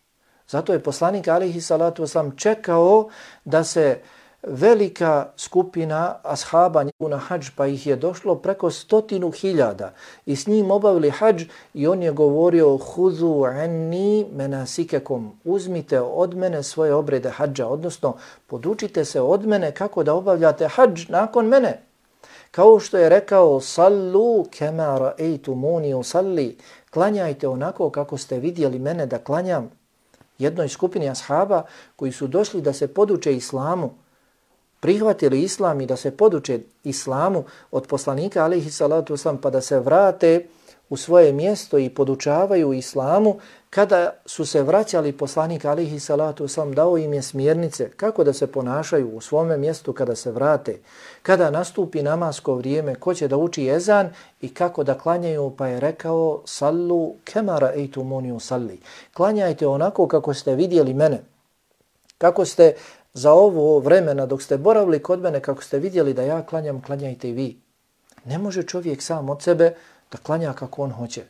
[SPEAKER 1] Zato je poslanik alejhi salatu vesselam čekao da se velika skupina ashaba na hadž, pa ih je došlo preko stotinu hiljada i s njim obavili hadž i on je govorio huzu anni menasikekum, uzmite od mene svoje obrede hadža, odnosno podučite se od mene kako da obavljate hadž nakon mene. Kao što je rekao sallu kema ra'aytumuni usalli, klanjajte onako kako ste vidjeli mene da klanjam. Jednoj skupini ashaba koji su došli da se poduče islamu, prihvatili islam i da se poduče islamu od poslanika alejhi salatu vesselam, pa da se vrate u svoje mjesto i podučavaju islamu, kada su se vraćali poslanik alihi salatu sam dao im je smjernice kako da se ponašaju u svome mjestu kada se vrate, kada nastupi namasko vrijeme, ko će da uči ezan i kako da klanjaju, pa je rekao sallu kema ra'aytumuni usalli. Klanjajte onako kako ste vidjeli mene. Kako ste za ovo vremena dok ste boravili kod mene, kako ste vidjeli da ja klanjam, klanjajte i vi. Ne može čovjek sam od sebe da klanja kako on hoće,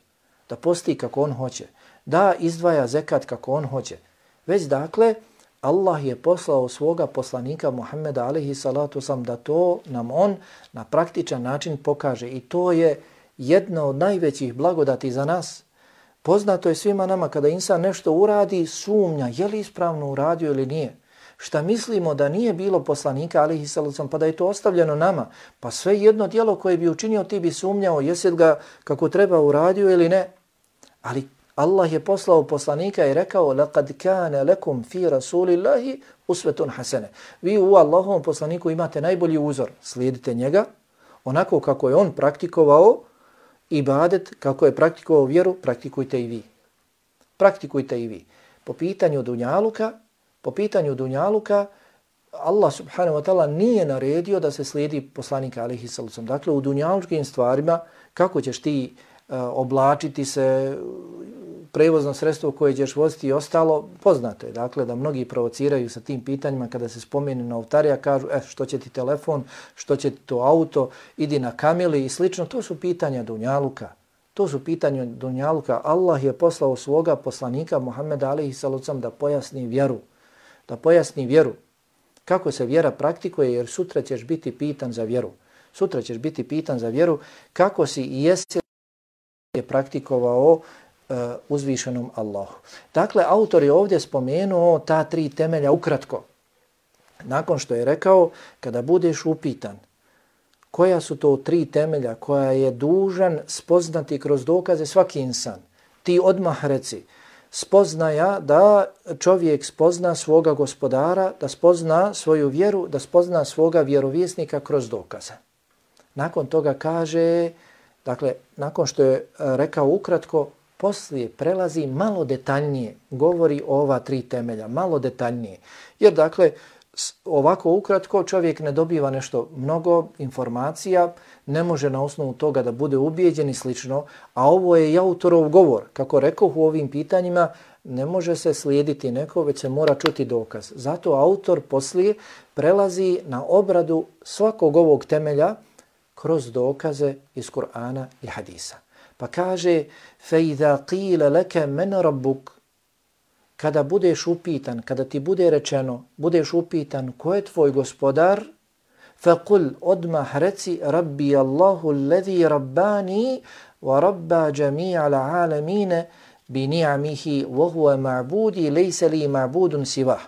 [SPEAKER 1] da posti kako on hoće, da izdvaja zekat kako on hoće. Već dakle, Allah je poslao svoga poslanika Muhammeda alejhi salatu vesselam da to nam on na praktičan način pokaže. I to je jedna od najvećih blagodati za nas. Poznato je svima nama kada insan nešto uradi, sumnja je li ispravno uradio ili nije. Šta mislimo da nije bilo poslanika alejhi salatu vesselam, pa da je to ostavljeno nama, pa sve jedno djelo koje bi učinio ti bi sumnjao jesi ga kako treba uradio ili ne. Ali Allah je poslao poslanika i rekao laqad kana lakum fi rasulillahi uswatun hasana. Vi u Allahovom poslaniku imate najbolji uzor, slijedite njega onako kako je on praktikovao ibadet, kako je praktikovao vjeru, praktikujte i vi. Praktikujte i vi. Po pitanju dunjaluka, po pitanju dunjaluka Allah subhanahu wa ta'ala nije naredio da se slijedi poslanika alejhi salatu vesselam. Dakle, u dunjalučkim stvarima kako ćeš ti uh, oblačiti se, prevozno sredstvo koje ćeš voziti i ostalo, poznato je. Dakle, da mnogi provociraju sa tim pitanjima kada se spomene novotarija, kažu e, što će ti telefon, što će ti to auto, idi na kamili i slično. To su pitanja dunjaluka. To su pitanja dunjaluka. Allah je poslao svoga poslanika Muhammeda alejhi salatu vesselam da pojasni vjeru. Da pojasni vjeru. Kako se vjera praktikuje, jer sutra ćeš biti pitan za vjeru. Sutra ćeš biti pitan za vjeru kako si i jesi je praktikovao uh, uzvišenom Allahu. Dakle, autor je ovdje spomenuo ta tri temelja ukratko. Nakon što je rekao, kada budeš upitan koja su to tri temelja koja je dužan spoznati kroz dokaze svaki insan, ti odmah reci, spoznaja da čovjek spozna svoga gospodara, da spozna svoju vjeru, da spozna svoga vjerovjesnika kroz dokaze. Nakon toga kaže, dakle, nakon što je rekao ukratko, poslije prelazi malo detaljnije, govori o ova tri temelja, malo detaljnije. Jer, dakle, ovako ukratko čovjek ne dobiva nešto mnogo informacija, ne može na osnovu toga da bude ubijeđen i slično, a ovo je i autorov govor. Kako rekao u ovim pitanjima, ne može se slijediti neko, već se mora čuti dokaz. Zato autor poslije prelazi na obradu svakog ovog temelja kroz dokaze iz Kur'ana i hadisa. Pa kaže, فَإِذَا قِيلَ لَكَ مَنْ رَبُّكَ, kada budeš upitan, kada ti bude rečeno, budeš upitan ko je tvoj gospodar, فَقُلْ odmah reci رَبِّيَ اللَّهُ الَّذِي رَبَّانِي وَرَبَّا جَمِيعَ الْعَالَمِينَ بِنِعَمِهِ وَهُوَ مَعْبُودِ لَيْسَ لِي مَعْبُودٌ سِوَهُ.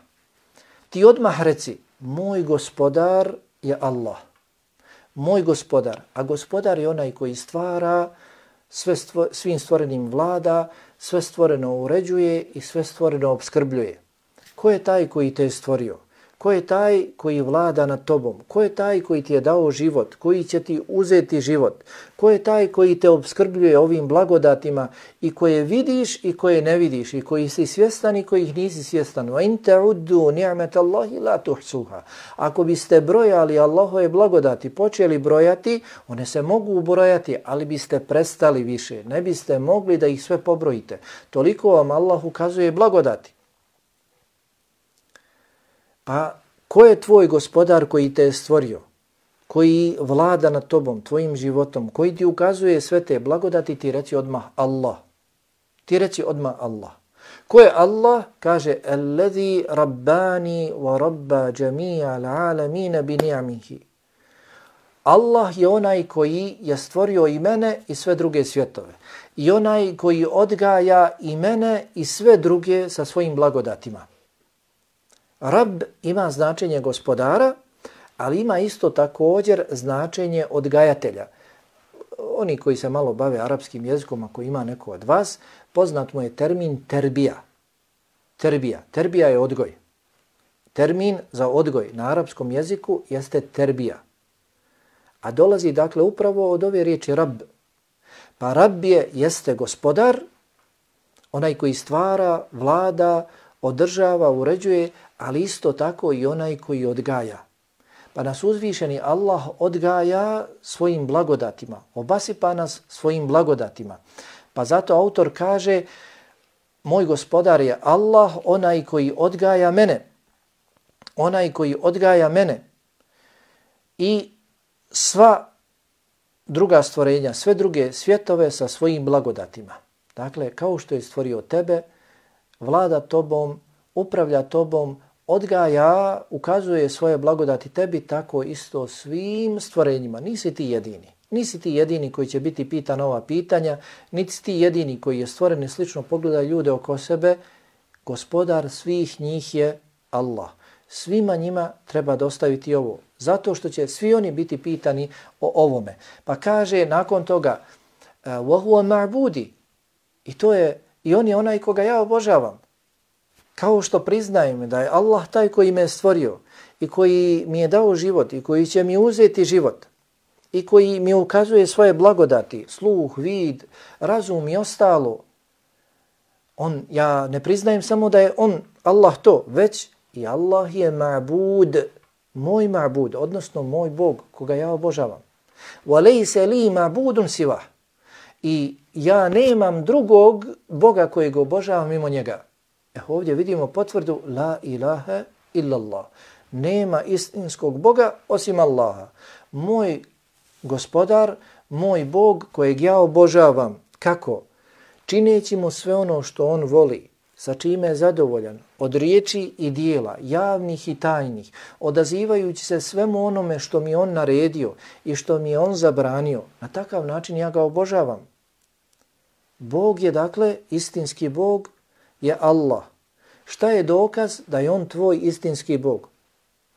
[SPEAKER 1] Ti odmah reci, moj gospodar je Allah. Moj gospodar, a gospodar je onaj koji stvara, sve stvo, svim stvorenim vlada, sve stvoreno uređuje i sve stvoreno obskrbljuje. Ko je taj koji te je stvorio? Ko je taj koji vlada nad tobom? Ko je taj koji ti je dao život? Koji će ti uzeti život? Ko je taj koji te obskrbljuje ovim blagodatima i koje vidiš i koje ne vidiš i koji si svjestan i kojih nisi svjestan? Wa in ta'uddu ni'matallahi la tuhsuha. Ako biste brojali Allahove blagodati, počeli brojati, one se mogu brojati, ali biste prestali više. Ne biste mogli da ih sve pobrojite. Toliko vam Allah ukazuje blagodati. Pa ko je tvoj gospodar koji te je stvorio, koji vlada nad tobom, tvojim životom, koji ti ukazuje sve te blagodati, ti reci odmah Allah. Ti reci odmah Allah. Ko je Allah? Kaže, Alladhi rabbani wa rabba jami'a al-alamina bi ni'amihi. Allah je onaj koji je stvorio i mene i sve druge svjetove. I onaj koji odgaja i mene i sve druge sa svojim blagodatima. Rab ima značenje gospodara, ali ima isto također značenje odgajatelja. Oni koji se malo bave arapskim jezikom, ako ima neko od vas, poznat mu je termin terbija. Terbija. Terbija je odgoj. Termin za odgoj na arapskom jeziku jeste terbija. A dolazi dakle upravo od ove riječi rab. Pa Rab je, jeste gospodar, onaj koji stvara, vlada, održava, uređuje, ali isto tako i onaj koji odgaja. Pa nas uzvišeni Allah odgaja svojim blagodatima, obasipa nas svojim blagodatima. Pa zato autor kaže, moj gospodar je Allah, onaj koji odgaja mene, onaj koji odgaja mene i sva druga stvorenja, sve druge svjetove sa svojim blagodatima. Dakle, kao što je stvorio tebe, vlada tobom, upravlja tobom, odgaja, ukazuje svoje blagodati tebi, tako isto svim stvorenjima. Nisi ti jedini. Nisi ti jedini koji će biti pitan ova pitanja, niti ti jedini koji je stvoren i slično pogleda ljude oko sebe. Gospodar svih njih je Allah. Svima njima treba dostaviti ovo, zato što će svi oni biti pitani o ovome. Pa kaže nakon toga, وَهُوَ مَعْبُودِ, i to je, i on je onaj koga ja obožavam. Kao što priznajem da je Allah taj koji me je stvorio i koji mi je dao život i koji će mi uzeti život i koji mi ukazuje svoje blagodati, sluh, vid, razum i ostalo. On, ja ne priznajem samo da je on, Allah to, već i Allah je ma'bud, moj ma'bud, odnosno moj Bog koga ja obožavam. وَلَيْسَ لِي مَعْبُودٌ سِوَهُ, i ja nemam drugog Boga kojeg obožavam mimo njega. E, ovdje vidimo potvrdu la ilaha illallah. Nema istinskog Boga osim Allaha. Moj gospodar, moj Bog kojeg ja obožavam. Kako? Čineći mu sve ono što on voli, sa čime je zadovoljan, od riječi i dijela, javnih i tajnih, odazivajući se svemu onome što mi on naredio i što mi je on zabranio. Na takav način ja ga obožavam. Bog je, dakle, istinski Bog je Allah. Šta je dokaz da je on tvoj istinski Bog?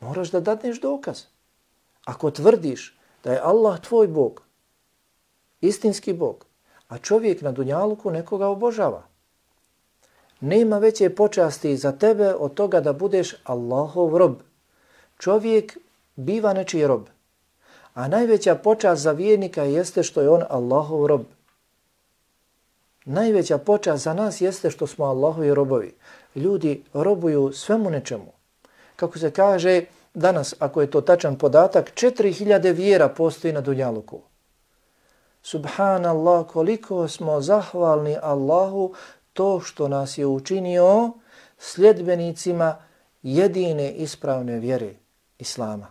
[SPEAKER 1] Moraš da dadneš dokaz. Ako tvrdiš da je Allah tvoj Bog, istinski Bog, a čovjek na dunjaluku nekoga obožava, nema veće počasti za tebe od toga da budeš Allahov rob. Čovjek biva nečiji rob, a najveća počast za vjernika jeste što je on Allahov rob. Najveća počast za nas jeste što smo Allahovi robovi. Ljudi robuju svemu nečemu. Kako se kaže danas, ako je to tačan podatak, četiri hiljade vjera postoji na dunjaluku. Subhanallah, koliko smo zahvalni Allahu to što nas je učinio sljedbenicima jedine ispravne vjere Islama.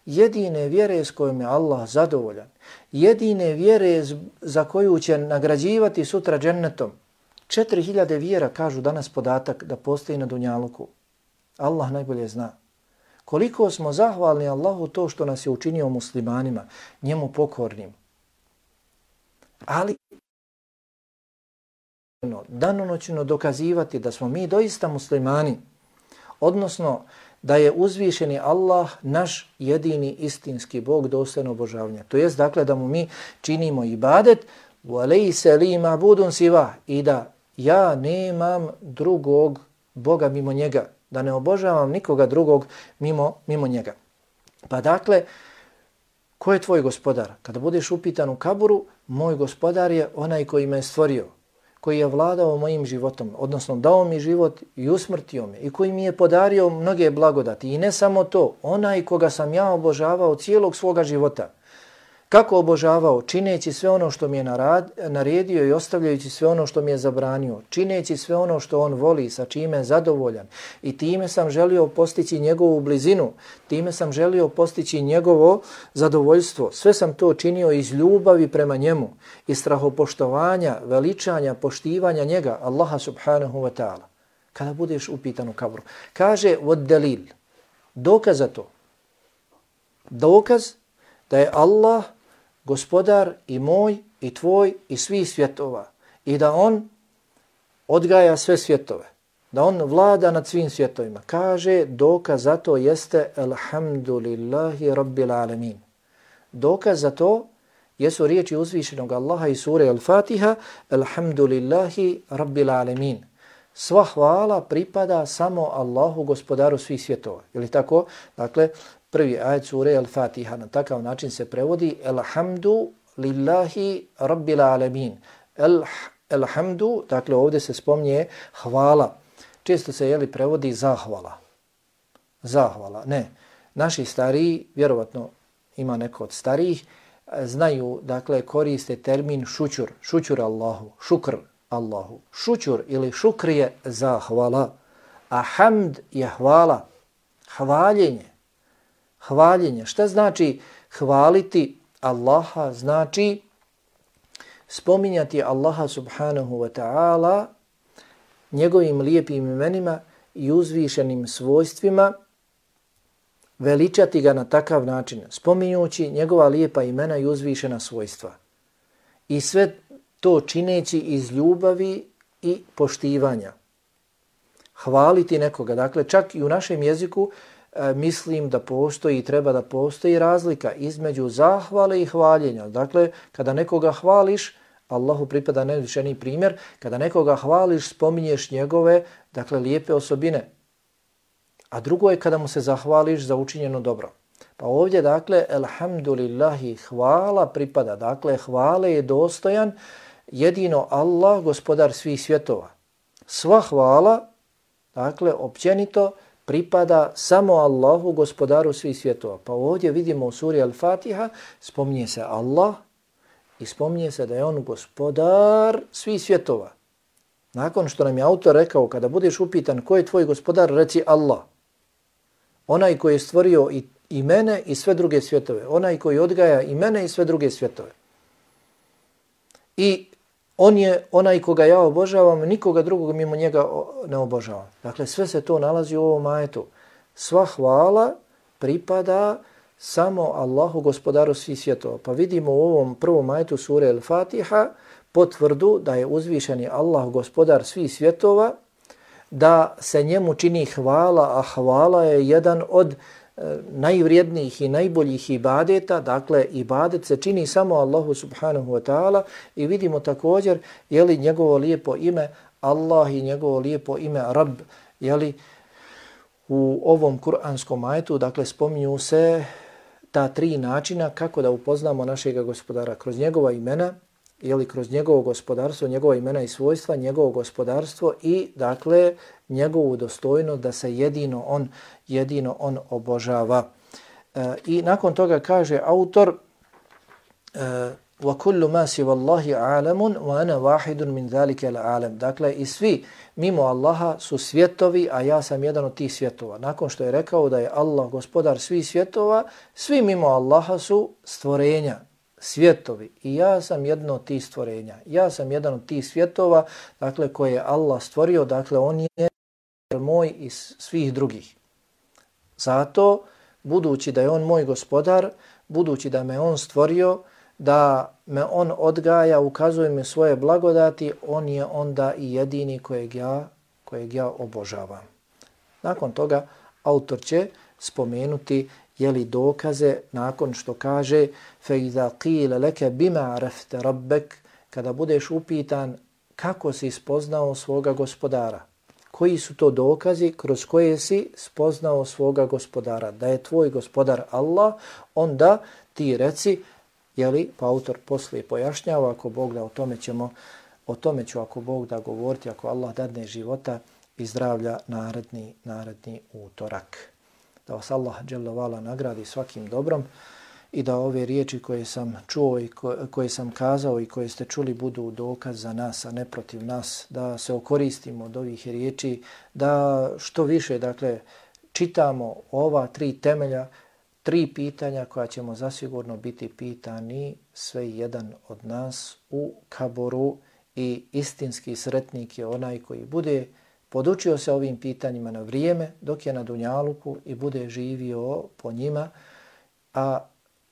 [SPEAKER 1] Jedine vjere s kojom je Allah zadovoljan. Jedine vjere za koju će nagrađivati sutra džennetom. Četiri hiljade vjera, kažu danas podatak, da postoji na dunjaluku. Allah najbolje zna. Koliko smo zahvalni Allahu to što nas je učinio muslimanima, njemu pokornim. Ali danonoćno dokazivati da smo mi doista muslimani, odnosno da je uzvišeni Allah naš jedini istinski Bog dostojno obožavanja. To jest, dakle, da mu mi činimo ibadet وَلَيْسَ لِي مَعْبُودٌ سِوَهُ, i da ja nemam drugog Boga mimo njega, da ne obožavam nikoga drugog mimo, mimo njega. Pa dakle, ko je tvoj gospodar? Kada budeš upitan u kaburu, moj gospodar je onaj koji me je stvorio, koji je vladao mojim životom, odnosno dao mi život i usmrtio me i koji mi je podario mnoge blagodati. I ne samo to, onaj koga sam ja obožavao cijelog svoga života. Kako obožavao? Čineći sve ono što mi je naredio i ostavljajući sve ono što mi je zabranio. Čineći sve ono što on voli, sa čime je zadovoljan. I time sam želio postići njegovu blizinu. Time sam želio postići njegovo zadovoljstvo. Sve sam to činio iz ljubavi prema njemu. Iz strahopoštovanja, veličanja, poštivanja njega, Allaha subhanahu wa ta'ala. Kada budeš upitan u kaburu. Kaže, od dalil. Dokaz za to. Dokaz da je Allah gospodar i moj i tvoj i svih svjetova i da on odgaja sve svjetove, da on vlada nad svim svjetovima. Kaže, dokaz za to jeste alhamdulillahi rabbil alamin. Dokaz za to jesu riječi uzvišenog Allaha iz sure Al-Fatiha, alhamdulillahi rabbil alamin. Sva hvala pripada samo Allahu, gospodaru svih svjetova. Je li tako? Dakle, prvi ajet sure Al-Fatiha na takav način se prevodi, alhamdu lillahi rabbil alamin. El, elhamdu, dakle ovdje se spominje hvala. Često se jeli prevodi zahvala. Zahvala, ne. Naši stariji, vjerovatno ima neko od starijih, znaju, dakle, koriste termin šućur, šućur Allahu, šukr Allahu. Šućur ili šukr je zahvala, a hamd je hvala, hvaljenje. Hvaljenje. Šta znači hvaliti Allaha? Znači spominjati Allaha subhanahu wa ta'ala njegovim lijepim imenima i uzvišenim svojstvima, veličati ga na takav način, spominjući njegova lijepa imena i uzvišena svojstva. I sve to čineći iz ljubavi i poštivanja. Hvaliti nekoga. Dakle, čak i u našem jeziku e, mislim da postoji i treba da postoji razlika između zahvale i hvaljenja. Dakle, kada nekoga hvališ, Allahu pripada najvišeniji primjer, kada nekoga hvališ, spominješ njegove, dakle, lijepe osobine. A drugo je kada mu se zahvališ za učinjeno dobro. Pa ovdje, dakle, elhamdulillahi, hvala pripada. Dakle, hvale je dostojan jedino Allah, gospodar svih svjetova. Sva hvala, dakle, općenito pripada samo Allahu, gospodaru svih svjetova. Pa ovdje vidimo u suri Al-Fatiha, spominje se Allah i spominje se da je on gospodar svih svjetova. Nakon što nam je autor rekao, kada budeš upitan ko je tvoj gospodar, reci Allah. Onaj koji je stvorio i, i mene i sve druge svjetove. Onaj koji odgaja i mene i sve druge svjetove. I on je onaj koga ja obožavam, nikoga drugog mimo njega ne obožavam. Dakle, sve se to nalazi u ovom ajetu. Sva hvala pripada samo Allahu, gospodaru svih svjetova. Pa vidimo u ovom prvom ajetu sure Al-Fatiha potvrdu da je uzvišeni Allah, gospodar svih svjetova, da se njemu čini hvala, a hvala je jedan od e, najvrijednijih i najboljih ibadeta. Dakle, ibadet se čini samo Allahu subhanahu wa ta'ala i vidimo također je li njegovo lijepo ime Allah i njegovo lijepo ime Rab, je li u ovom kuranskom ajetu, dakle, spominju se ta tri načina kako da upoznamo našega gospodara kroz njegova imena, ili kroz njegovo gospodarstvo, njegova imena i svojstva, njegovo gospodarstvo i, dakle, njegovu dostojnost da se jedino on, jedino on obožava. E, I nakon toga kaže autor e, وَكُلُّ مَا سِوَ اللَّهِ عَالَمٌ وَأَنَا وَاحِدٌ مِنْ ذَلِكَ الْعَالَمِ. Dakle, i svi mimo Allaha su svjetovi, a ja sam jedan od tih svjetova. Nakon što je rekao da je Allah gospodar svih svjetova, svi mimo Allaha su stvorenja, svjetovi. I ja sam jedno od tih stvorenja. Ja sam jedan od tih svjetova, dakle, koje je Allah stvorio, dakle, on je moj i svih drugih. Zato, budući da je on moj gospodar, budući da me on stvorio, da me on odgaja, ukazuje mi svoje blagodati, on je onda i jedini kojeg ja, kojeg ja obožavam. Nakon toga, autor će spomenuti jeli dokaze nakon što kaže فَإِذَا قِيلَ لَكَ بِمَا عَرَفْتَ رَبَّكَ, kada budeš upitan kako si spoznao svoga gospodara. Koji su to dokazi kroz koje si spoznao svoga gospodara? Da je tvoj gospodar Allah, onda ti reci, jeli, pa autor poslije pojašnjava, ako Bog da o tome ćemo, o tome ću ako Bog da govoriti, ako Allah dadne života i zdravlja naredni, naredni utorak. Da vas Allah dželle vala nagradi svakim dobrom i da ove riječi koje sam čuo i koje sam kazao i koje ste čuli budu dokaz za nas, a ne protiv nas, da se okoristimo od ovih riječi, da što više, dakle, čitamo ova tri temelja, tri pitanja koja ćemo zasigurno biti pitani sve jedan od nas u kaboru i istinski sretnik je onaj koji bude podučio se ovim pitanjima na vrijeme dok je na dunjaluku i bude živio po njima, a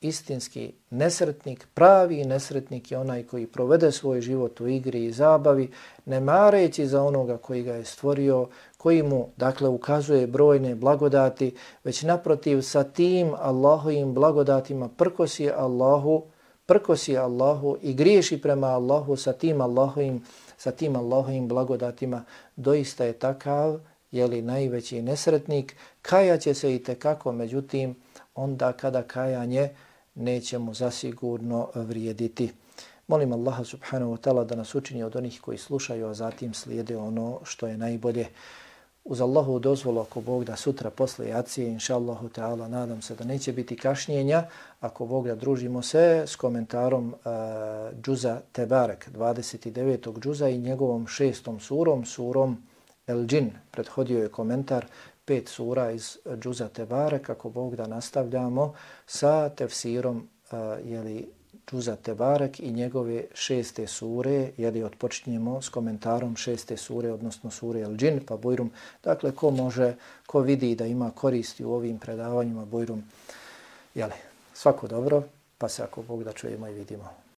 [SPEAKER 1] istinski nesretnik, pravi nesretnik je onaj koji provede svoj život u igri i zabavi, ne mareći za onoga koji ga je stvorio, koji mu, dakle, ukazuje brojne blagodati, već naprotiv sa tim Allahovim blagodatima prkosi Allahu, prkosi Allahu i griješi prema Allahu sa tim Allahovim, sa tim Allahovim blagodatima, doista je takav, jeli najveći nesretnik, kajaće se i tekako, međutim, onda kada kajanje neće mu zasigurno vrijediti. Molim Allaha subhanahu wa ta'ala da nas učini od onih koji slušaju, a zatim slijede ono što je najbolje. Uz Allahu dozvolu, ako Bog da sutra posle jacije, inša Allahu ta'ala, nadam se da neće biti kašnjenja. Ako Bog da družimo se s komentarom uh, džuza Tebarek, dvadeset devetog džuza i njegovom šestom surom, surom El Džin. Prethodio je komentar pet sura iz džuza Tebarek. Ako Bog da nastavljamo sa tefsirom uh, jeli, džuza Tebarek i njegove šeste sure, jeli odpočinjemo s komentarom šeste sure, odnosno sure El Džin, pa Bujrum. Dakle, ko može, ko vidi da ima koristi u ovim predavanjima, Bujrum, jeli, svako dobro, pa se ako Bog da čujemo i vidimo.